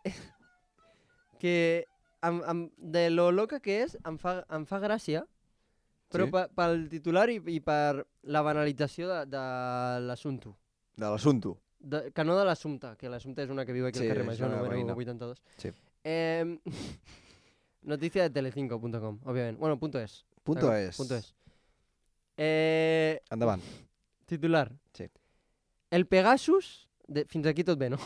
que em, em, de lo loca que és, em fa, em fa gràcia, però Sí? sí? pel titular i, i per la banalització de, de l'assumpte. De l'assumpte. De, que no de l'assumpte, que l'assumpte és una que viu aquí Sí, al carrer és Major, una número veïna. vuitanta-dos. Sí. Eh, noticia de telecinco punto com, òbviament. Bueno, punto es. Punto Saca- es. Punto es. Eh, Endavant. titular. Sí. El Pegasus... De, fins aquí tot bé, no?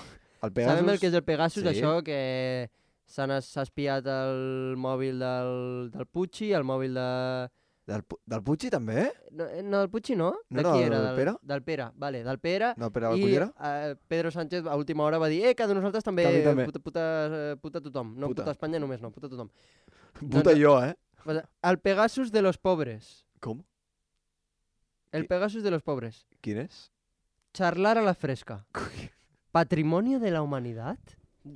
El Pegasus... Sabem el que és el Pegasus, sí. això que s'ha nas- s'ha espiat el mòbil del, del Pucci, el mòbil de... Del, Pu- del Puigci també? No, eh, no del Pucci no? No de era qui del era? Pere? Del Pere, vale, del Pere. No, Pere I Cullera? eh, Pedro Sánchez a última hora va dir eh, que de nosaltres també, Que a mi també. Puta, puta, eh, puta tothom. No Puta. puta. Espanya només, no, puta tothom. Puta jo, eh? Pues, el Pegasus de los pobres. Com? El Qui- Pegasus de los pobres. Quin és? Charlar a la fresca. ¿Patrimonio de la humanidad?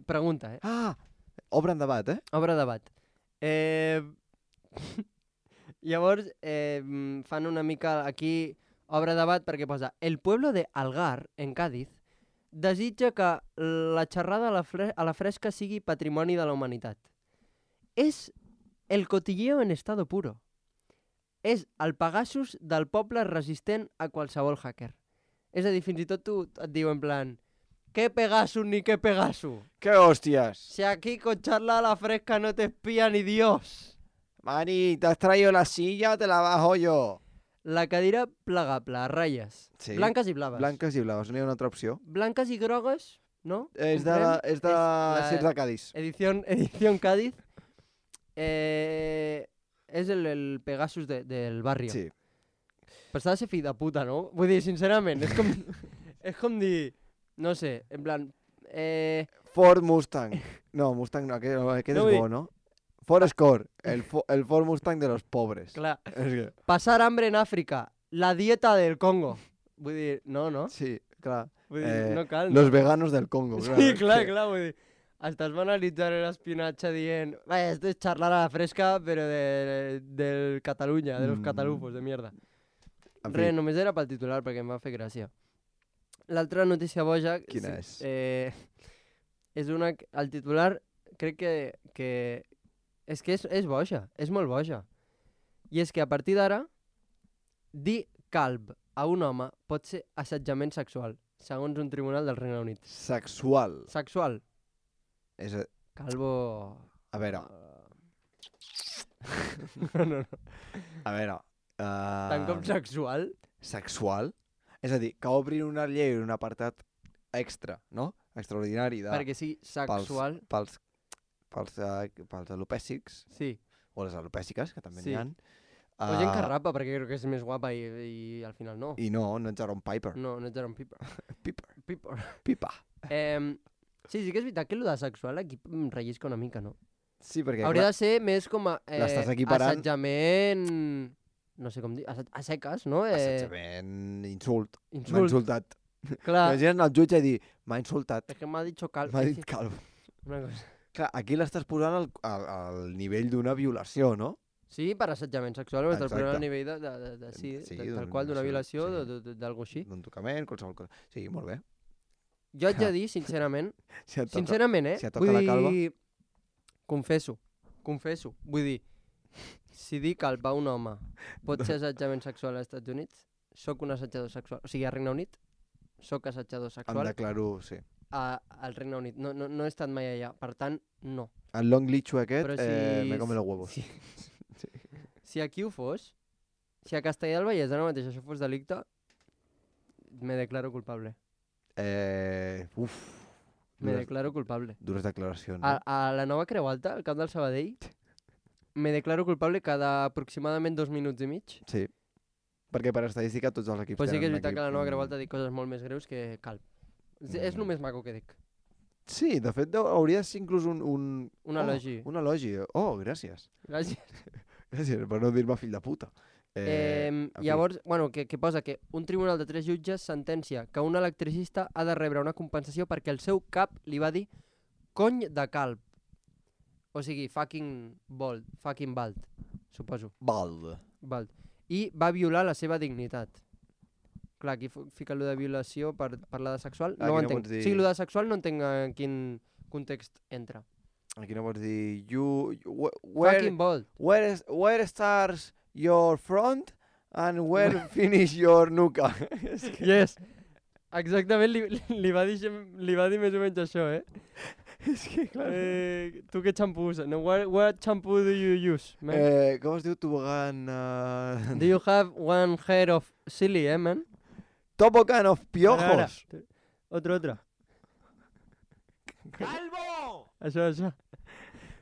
Pregunta, eh? Ah! Obre en debat, eh? Obre debat. Eh... Llavors, eh, mm, fan una mica aquí obre debat perquè posa el pueblo de Algar, en Cádiz, desitja que la xerrada a la, fre a la fresca sigui patrimoni de la humanitat. És el cotilleo en estado puro. És el Pegasus del poble resistent a qualsevol hacker. És a dir, fins i tot tu et diu en plan ¿qué Pegasus ni qué Pegasus? ¡Qué hostias! Si aquí con charla a la fresca no te espía ni Dios. Mani, ¿te has traído la silla o te la bajo yo? La cadira plegable, a ratlles. Sí. Blanques i blaves. Blanques i blaves, no hi ha una altra opció. Blanques i grogues, no? És de, la, Comprem? és de la Circ de Cádiz. Edición, edición Cádiz. Eh, és el, el Pegasus de, del barri. Sí. Però s'ha de ser fill de puta, no? Vull dir, sincerament, és com, és com dir, no sé, en plan... Eh, Ford Mustang. No, Mustang no, aquest, aquest No, és vull bo, no? Ford Escort, el, fo, el Ford Mustang de los pobres. clar, És que, passar hambre en Àfrica, la dieta del Congo. Vull dir, no, no? sí, clar. Vull dir, Eh, no cal. Los veganos del Congo. Sí, és clar, que- clar, vull dir, estàs banalitzant l'espionatge dient vaya, esto es charlar a la fresca, però de, del Catalunya, de los Mm. catalufos, de mierda. En fi, Res, només era pel titular, perquè em va fer gràcia. L'altra notícia boja... Quina sí, és? Eh, és una... que- El titular crec que... que és que és, és boja, és molt boja. I és que a partir d'ara, dir calb a un home pot ser assetjament sexual, segons un tribunal del Regne Unit. Sexual. Sexual. És a, Calvo... a veure, no, no, no. a veure... Uh, Tant com sexual? Sexual? És a dir, que obrin una llei, un apartat extra, no? Extraordinari de, Perquè sí, sexual... pels, pels, uh, pels alopècics, Sí. o les alopèciques, que també Sí. n'hi ha. O gent que rapa, perquè crec que és més guapa i, i al final no. I no, no ets Aaron Piper. No, no ets Aaron Piper. Piper. Piper. Pipa. Eh, sí, sí que és veritat que el de sexual aquí em rellisca una mica, no? Sí, perquè Hauria clar, de ser més com a eh, L'estàs equiparant- assetjament... No sé com dir, a, a seques, no? Eh, assetjament, insult. M'ha insult. insultat. Clar, Imagina't el jutge i dir, m'ha insultat, és que m'ha dit cal... m'ha dit calvo. Una cosa. Clar, aquí l'estàs posant al, al, al nivell d'una violació, no? Sí, per assetjament sexual, m'estàs posant Exacte. al nivell de, de, de, de sí, Sí, de, tal d'un- qual, d'una sí, violació, sí. de- de- de- d'algo així. D'un tocament, qualsevol cosa. Sí, molt bé. Jo haig de dir, sincerament, Si et toca, sincerament, eh? si et toca Vull la calva. dir... Confesso, confesso. Vull dir, si dir calb a un home pot ser assetjament sexual als Estats Units, sóc un assetjador sexual. O sigui, al Regne Unit, sóc assetjador em sexual declaro, sí. a, al Regne Unit. No, no, no he estat mai allà, per tant, no. El long lichu aquest, Però si... eh, me come los huevos. Si, si aquí ho fos, si a Castellà del Vallès ara mateix això fos delicte, me declaro culpable. Eh, uf, Me dures, declaro culpable. dures declaracions. A, Eh? a la nova Creu Alta, al camp del Sabadell, me declaro culpable cada aproximadament dos minuts i mig. Sí. Perquè per estadística tots els equips Però sí que és tenen un veritat que a la equip, nova Creu mm, Alta dic coses molt més greus que calb. És, és Mm. el més maco que dic. Sí, de fet deu- hauria de ser inclús un... Un, Un oh, elogi. Un elogi. Oh, gràcies. Gràcies. Gràcies per no dir-me fill de puta. Eh, en fi. llavors, bueno, que, que posa que un tribunal de tres jutges sentencia que un electricista ha de rebre una compensació perquè el seu cap li va dir cony de calb. O sigui, fucking bold, fucking bald, suposo. Bald. Bald. I va violar la seva dignitat. Clar, aquí fu- fica allò de violació per parlar de sexual. Aquí No ho no entenc. pots dir- O sigui, allò de sexual no entenc en quin context entra. Aquí no pots dir... You, you, wh- where, Fucking bold. where, is, where starts your front and where finish your nuca? És que... Yes. Exactament li, li, va dir, xem- li va dir més o menys això, eh? És que, clar... eh tu què xampú uses? No, what, what shampoo do you use, man? Eh, com es diu tobogan? Uh... Do you have one hair of silly, eh, man? Tobogán of Ara, piojos. ara. Otro, otro. ¡Calvo! Això, això.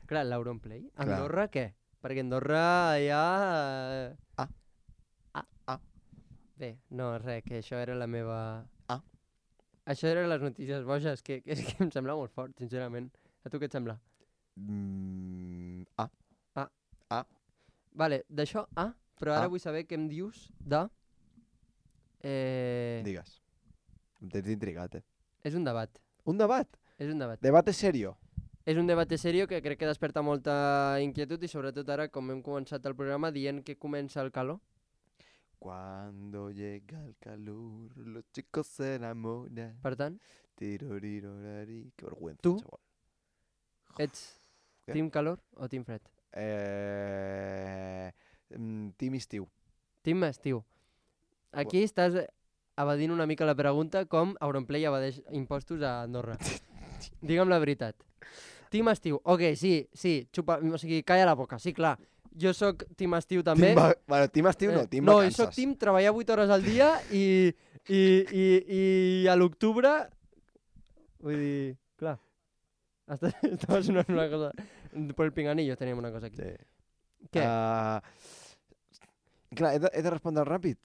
Clar, l'Auronplay. Clar. Andorra, què? Perquè Andorra ja... Ah. Ah. Ah. Bé, no, res, que això era la meva... Ah. Això eren les notícies boges, que, que, és que em sembla molt fort, sincerament. A tu què et sembla? Mm, ah. Vale, d'això, ah, però ara Ah. vull saber què em dius de... Eh... Digues. Em tens intrigat, eh? És un debat, Un debat. és un debat. Debate serio. És un debat serio que crec que desperta molta inquietud i sobretot ara, com hem començat el programa, dient que comença el calor. Cuando llega el calor, los chicos se enamoran. Per tant, Tirorirorari. Que vergüenza, Tu? chaval. ets Què? team calor o team fred? Eh... mm, Team estiu. Team estiu. Aquí estàs evadint una mica la pregunta com Auronplay evadeix impostos a Andorra. Digue'm la veritat. Team estiu. Ok, sí, sí, xupa, o sigui, calla la boca, sí, clar. Jo sóc team estiu també. Team va... Bueno, team estiu no, Eh, team no, jo vacances. sóc team treballar vuit hores al dia i, i, i, i a l'octubre... Vull dir, clar. Està, estava sonant una cosa... Per el pinganillo teníem una cosa aquí. Sí. Què? Uh, clar, he de, he de respondre ràpid.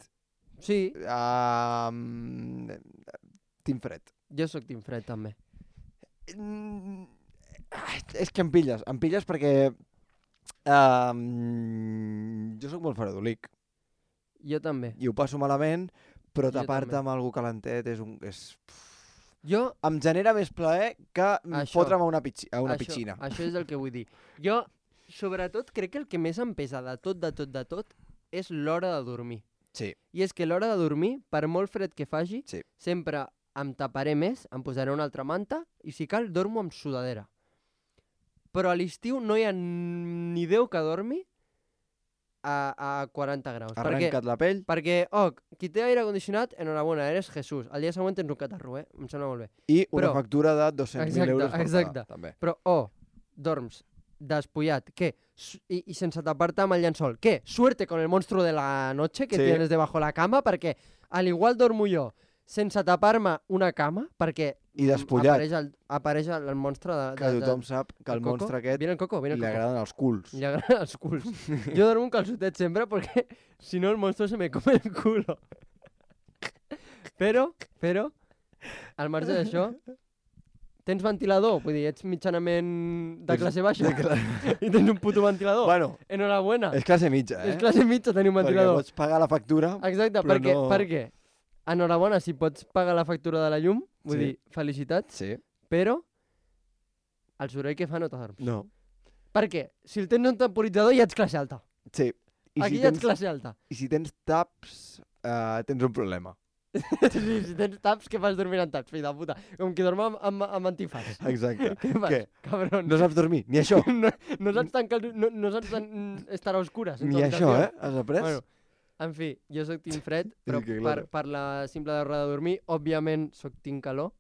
Sí, Uh, team fred. jo sóc team fred també. Mm, ai, és que em pilles, em pilles perquè um, jo sóc molt faradolic Jo també. i ho passo malament, però Jo tapar-te també. amb algú calentet és un... És... Jo Em genera més plaer que mm, Això. fotre'm a una, pitxi, a una això, piscina. Això és el que vull dir. Jo, sobretot, crec que el que més em pesa de tot, de tot, de tot, és l'hora de dormir. Sí. I és que l'hora de dormir, per molt fred que faci, Sí. sempre em taparé més, em posaré una altra manta i si cal dormo amb sudadera. Però a l'estiu no hi ha ni Déu que dormi a, a quaranta graus. Perquè, Arrenca't la pell. perquè, oh, qui té aire condicionat, enhorabona, eres Jesús. Al dia següent tens un catarro, eh? Em sembla molt bé. I una Però- factura de dos-cents mil Exacte, euros per exacte. pagar, també. Però, oh, dorms despullat, què? Su- I, I sense tapar-te amb el llençol. Què? Suerte con el monstruo de la noche que Sí. tienes debajo la cama, perquè al igual dormo jo sense tapar-me una cama, perquè I mm, despullat. apareix el, apareix el, el monstre de, de, Que de, tothom sap que el Coco. monstre aquest Viene el coco, viene li el coco. agraden els culs. Li agraden els culs. Jo dormo un calçotet sempre perquè si no el monstruo se me come el culo. Però, però, al marge d'això, tens ventilador? Vull dir, ets mitjanament de classe baixa De cla- i tens un puto ventilador. Bueno, Enhorabuena. és classe mitja, eh? És classe mitja tenir un Perquè ventilador. pots pagar la factura. Exacte, però perquè, no- perquè, enhorabona si pots pagar la factura de la llum, vull Sí. dir, felicitats, Sí. però el soroll que fa no t'adorms. No. Perquè si el tens en temporitzador ja ets classe alta. Sí. I Aquí si ja tens, ets classe alta. I si tens taps, uh, tens un problema. Sí, si tens taps, què fas dormint amb taps, fill de puta? Com que dorm amb, amb, amb antifàs. Exacte. Què fas, Què? cabron? No saps dormir, ni això. no, no saps tancar... el- No, no saps tan, estar a oscures. en Ni tu això, habitació. eh? Has après? Bueno, en fi, jo sóc team fred, però que per, claro. per la simple raó de dormir, òbviament sóc team calor.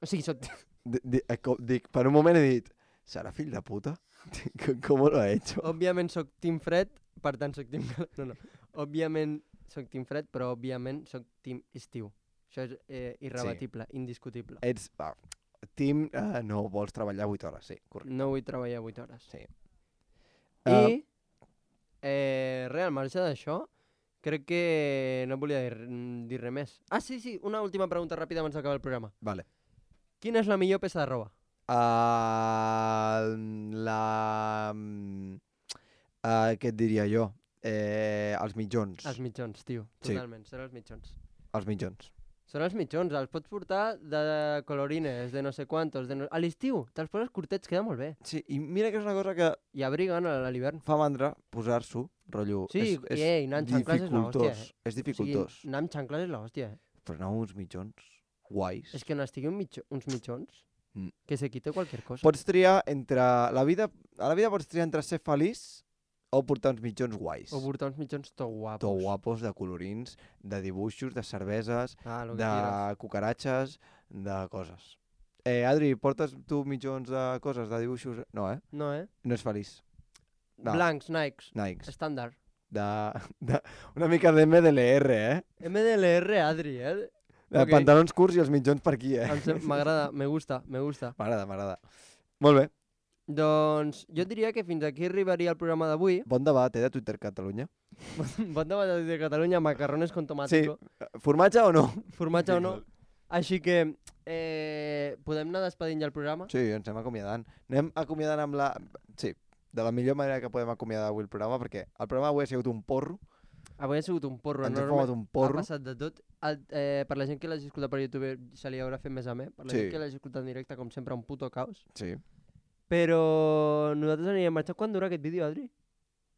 O sigui, sóc... Di- di- eh, com- Dic, per un moment he dit, serà fill de puta? Com- Com lo ha hecho? Òbviament sóc team fred, per tant sóc team calor. No, no. Òbviament sóc team fred, però òbviament sóc team estiu. Això és eh, irrebatible, indiscutible. Ets... Va, team, uh, no vols treballar vuit hores, sí, correcte. No vull treballar vuit hores. Sí. I, eh, res, al marge d'això, crec que no volia dir, dir res més. Ah, sí, sí, una última pregunta ràpida abans d'acabar el programa. Vale. Quina és la millor peça de roba? Uh, la... Uh, què et diria jo? Eh, els mitjons. Els mitjons, tio, Sí. totalment, són els mitjons. Els mitjons. Són els mitjons, els pots portar de colorines, de no sé quantos, de no... a l'estiu, te'ls poses curtets, queda molt bé. Sí, i mira que és una cosa que I abriguen a l'hivern. fa mandra posar-s'ho, rotllo. Sí, és, és i ei, anar amb xancles és l'hòstia, dificultós. eh? És dificultós. O sigui, anar amb xancles és l'hòstia, eh? Però anar amb uns mitjons guais. És que on estigui un mitjo, uns mitjons, Mm. que se quite qualsevol cosa. Pots triar entre... La vida, a la vida pots triar entre ser feliç o portar uns mitjons guais. O portar uns mitjons tot guapos. Tot guapos, de colorins, de dibuixos, de cerveses, Ah, lo que de quieras. cucaratxes, de coses. Eh, Adri, portes tu mitjons de coses, de dibuixos? No, eh? No, eh? No és feliç. No. Blancs, Nikes, Nikes. estàndard. De, de, una mica de M D L R, eh? M D L R, Adri, eh? De Ok. pantalons curts i els mitjons per aquí, eh? Em sem- M'agrada, me gusta, me gusta. M'agrada, m'agrada. Molt bé. Doncs jo diria que fins aquí arribaria el programa d'avui. Bon debat, eh, de Twitter Catalunya. Bon debat de Catalunya, macarrones con tomàtico. Formatge o no? Formatge o no. Així que eh, podem anar despedint ja el programa. Sí, ens anem acomiadant. Anem acomiadant amb la... Sí, de la millor manera que podem acomiadar avui el programa, perquè el programa avui ha sigut un porro. Avui ha sigut un porro Ens hem enorme. fumat un porro. Ha passat de tot. El, eh, per la gent que l'hagi escoltat per YouTube se li haurà fet més amè. Per la Sí. gent que l'hagi escoltat en directe, com sempre, un puto caos. Sí. Però nosaltres anirem marxant. Quant dura aquest vídeo, Adri?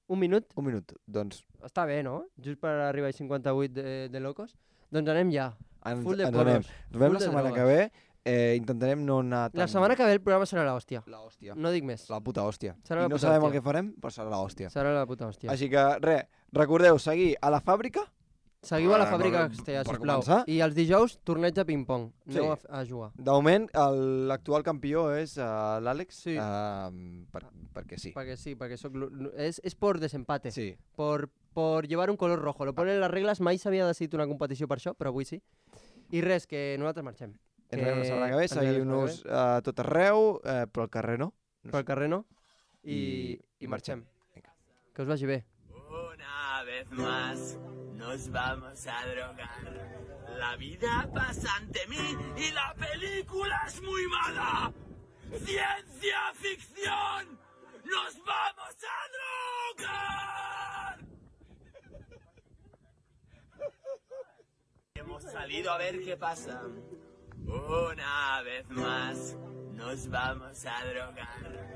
Un minut? Un minut. Doncs Està bé, no? Just per arribar a cinquanta-vuit de, de locos. Doncs anem ja. ens, Full de ens anem. porros. Ens veiem full la de setmana drogues. que ve. Eh, intentarem no anar tan... La setmana que ve el programa serà l'hòstia. La hòstia. No dic més. La puta hòstia. Serà la I no puta sabem el hòstia. que farem, però serà la hòstia. Serà la puta hòstia. Així que, res, recordeu, seguir a la fàbrica. Seguiu a la per- fàbrica per- Castellà, per sisplau. començar. I els dijous, torneig de ping-pong. Sí. Aneu a, a jugar. De moment, el- l'actual campió és uh, l'Àlex, Sí. uh, per, perquè sí. Perquè sí, perquè soc... l'u- És, és por desempate. Sí. Por, por llevar un color rojo. Lo ponen les regles, mai s'havia decidit una competició per això, però avui sí. I res, que nosaltres marxem. Ens veiem la setmana que ve, ens veiem la setmana seguiu-nos a tot arreu, eh, però al carrer no. Pel carrer no? I, I- i, i marxem. Vinga. Que us vagi bé. Una vez más nos vamos a drogar. La vida pasa ante mí y la película es muy mala. Ciencia ficción. Nos vamos a drogar. Hemos salido a ver qué pasa. Una vez más nos vamos a drogar.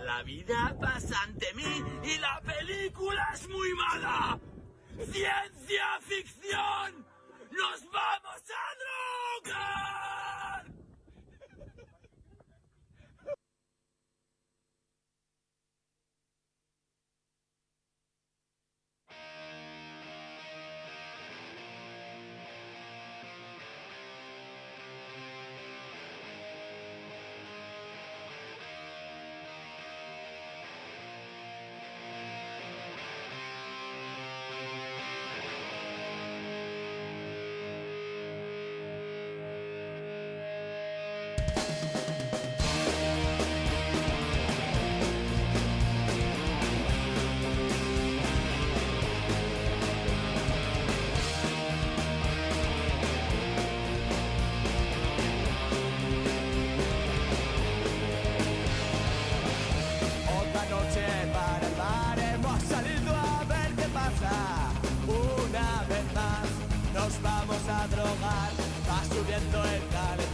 La vida pasa ante mí y la película es muy mala. Ciencia ficción. Nos vamos a drogar. Otra noche para el bar hemos salido a ver qué pasa. Una vez más nos vamos a drogar. Va subiendo el calor.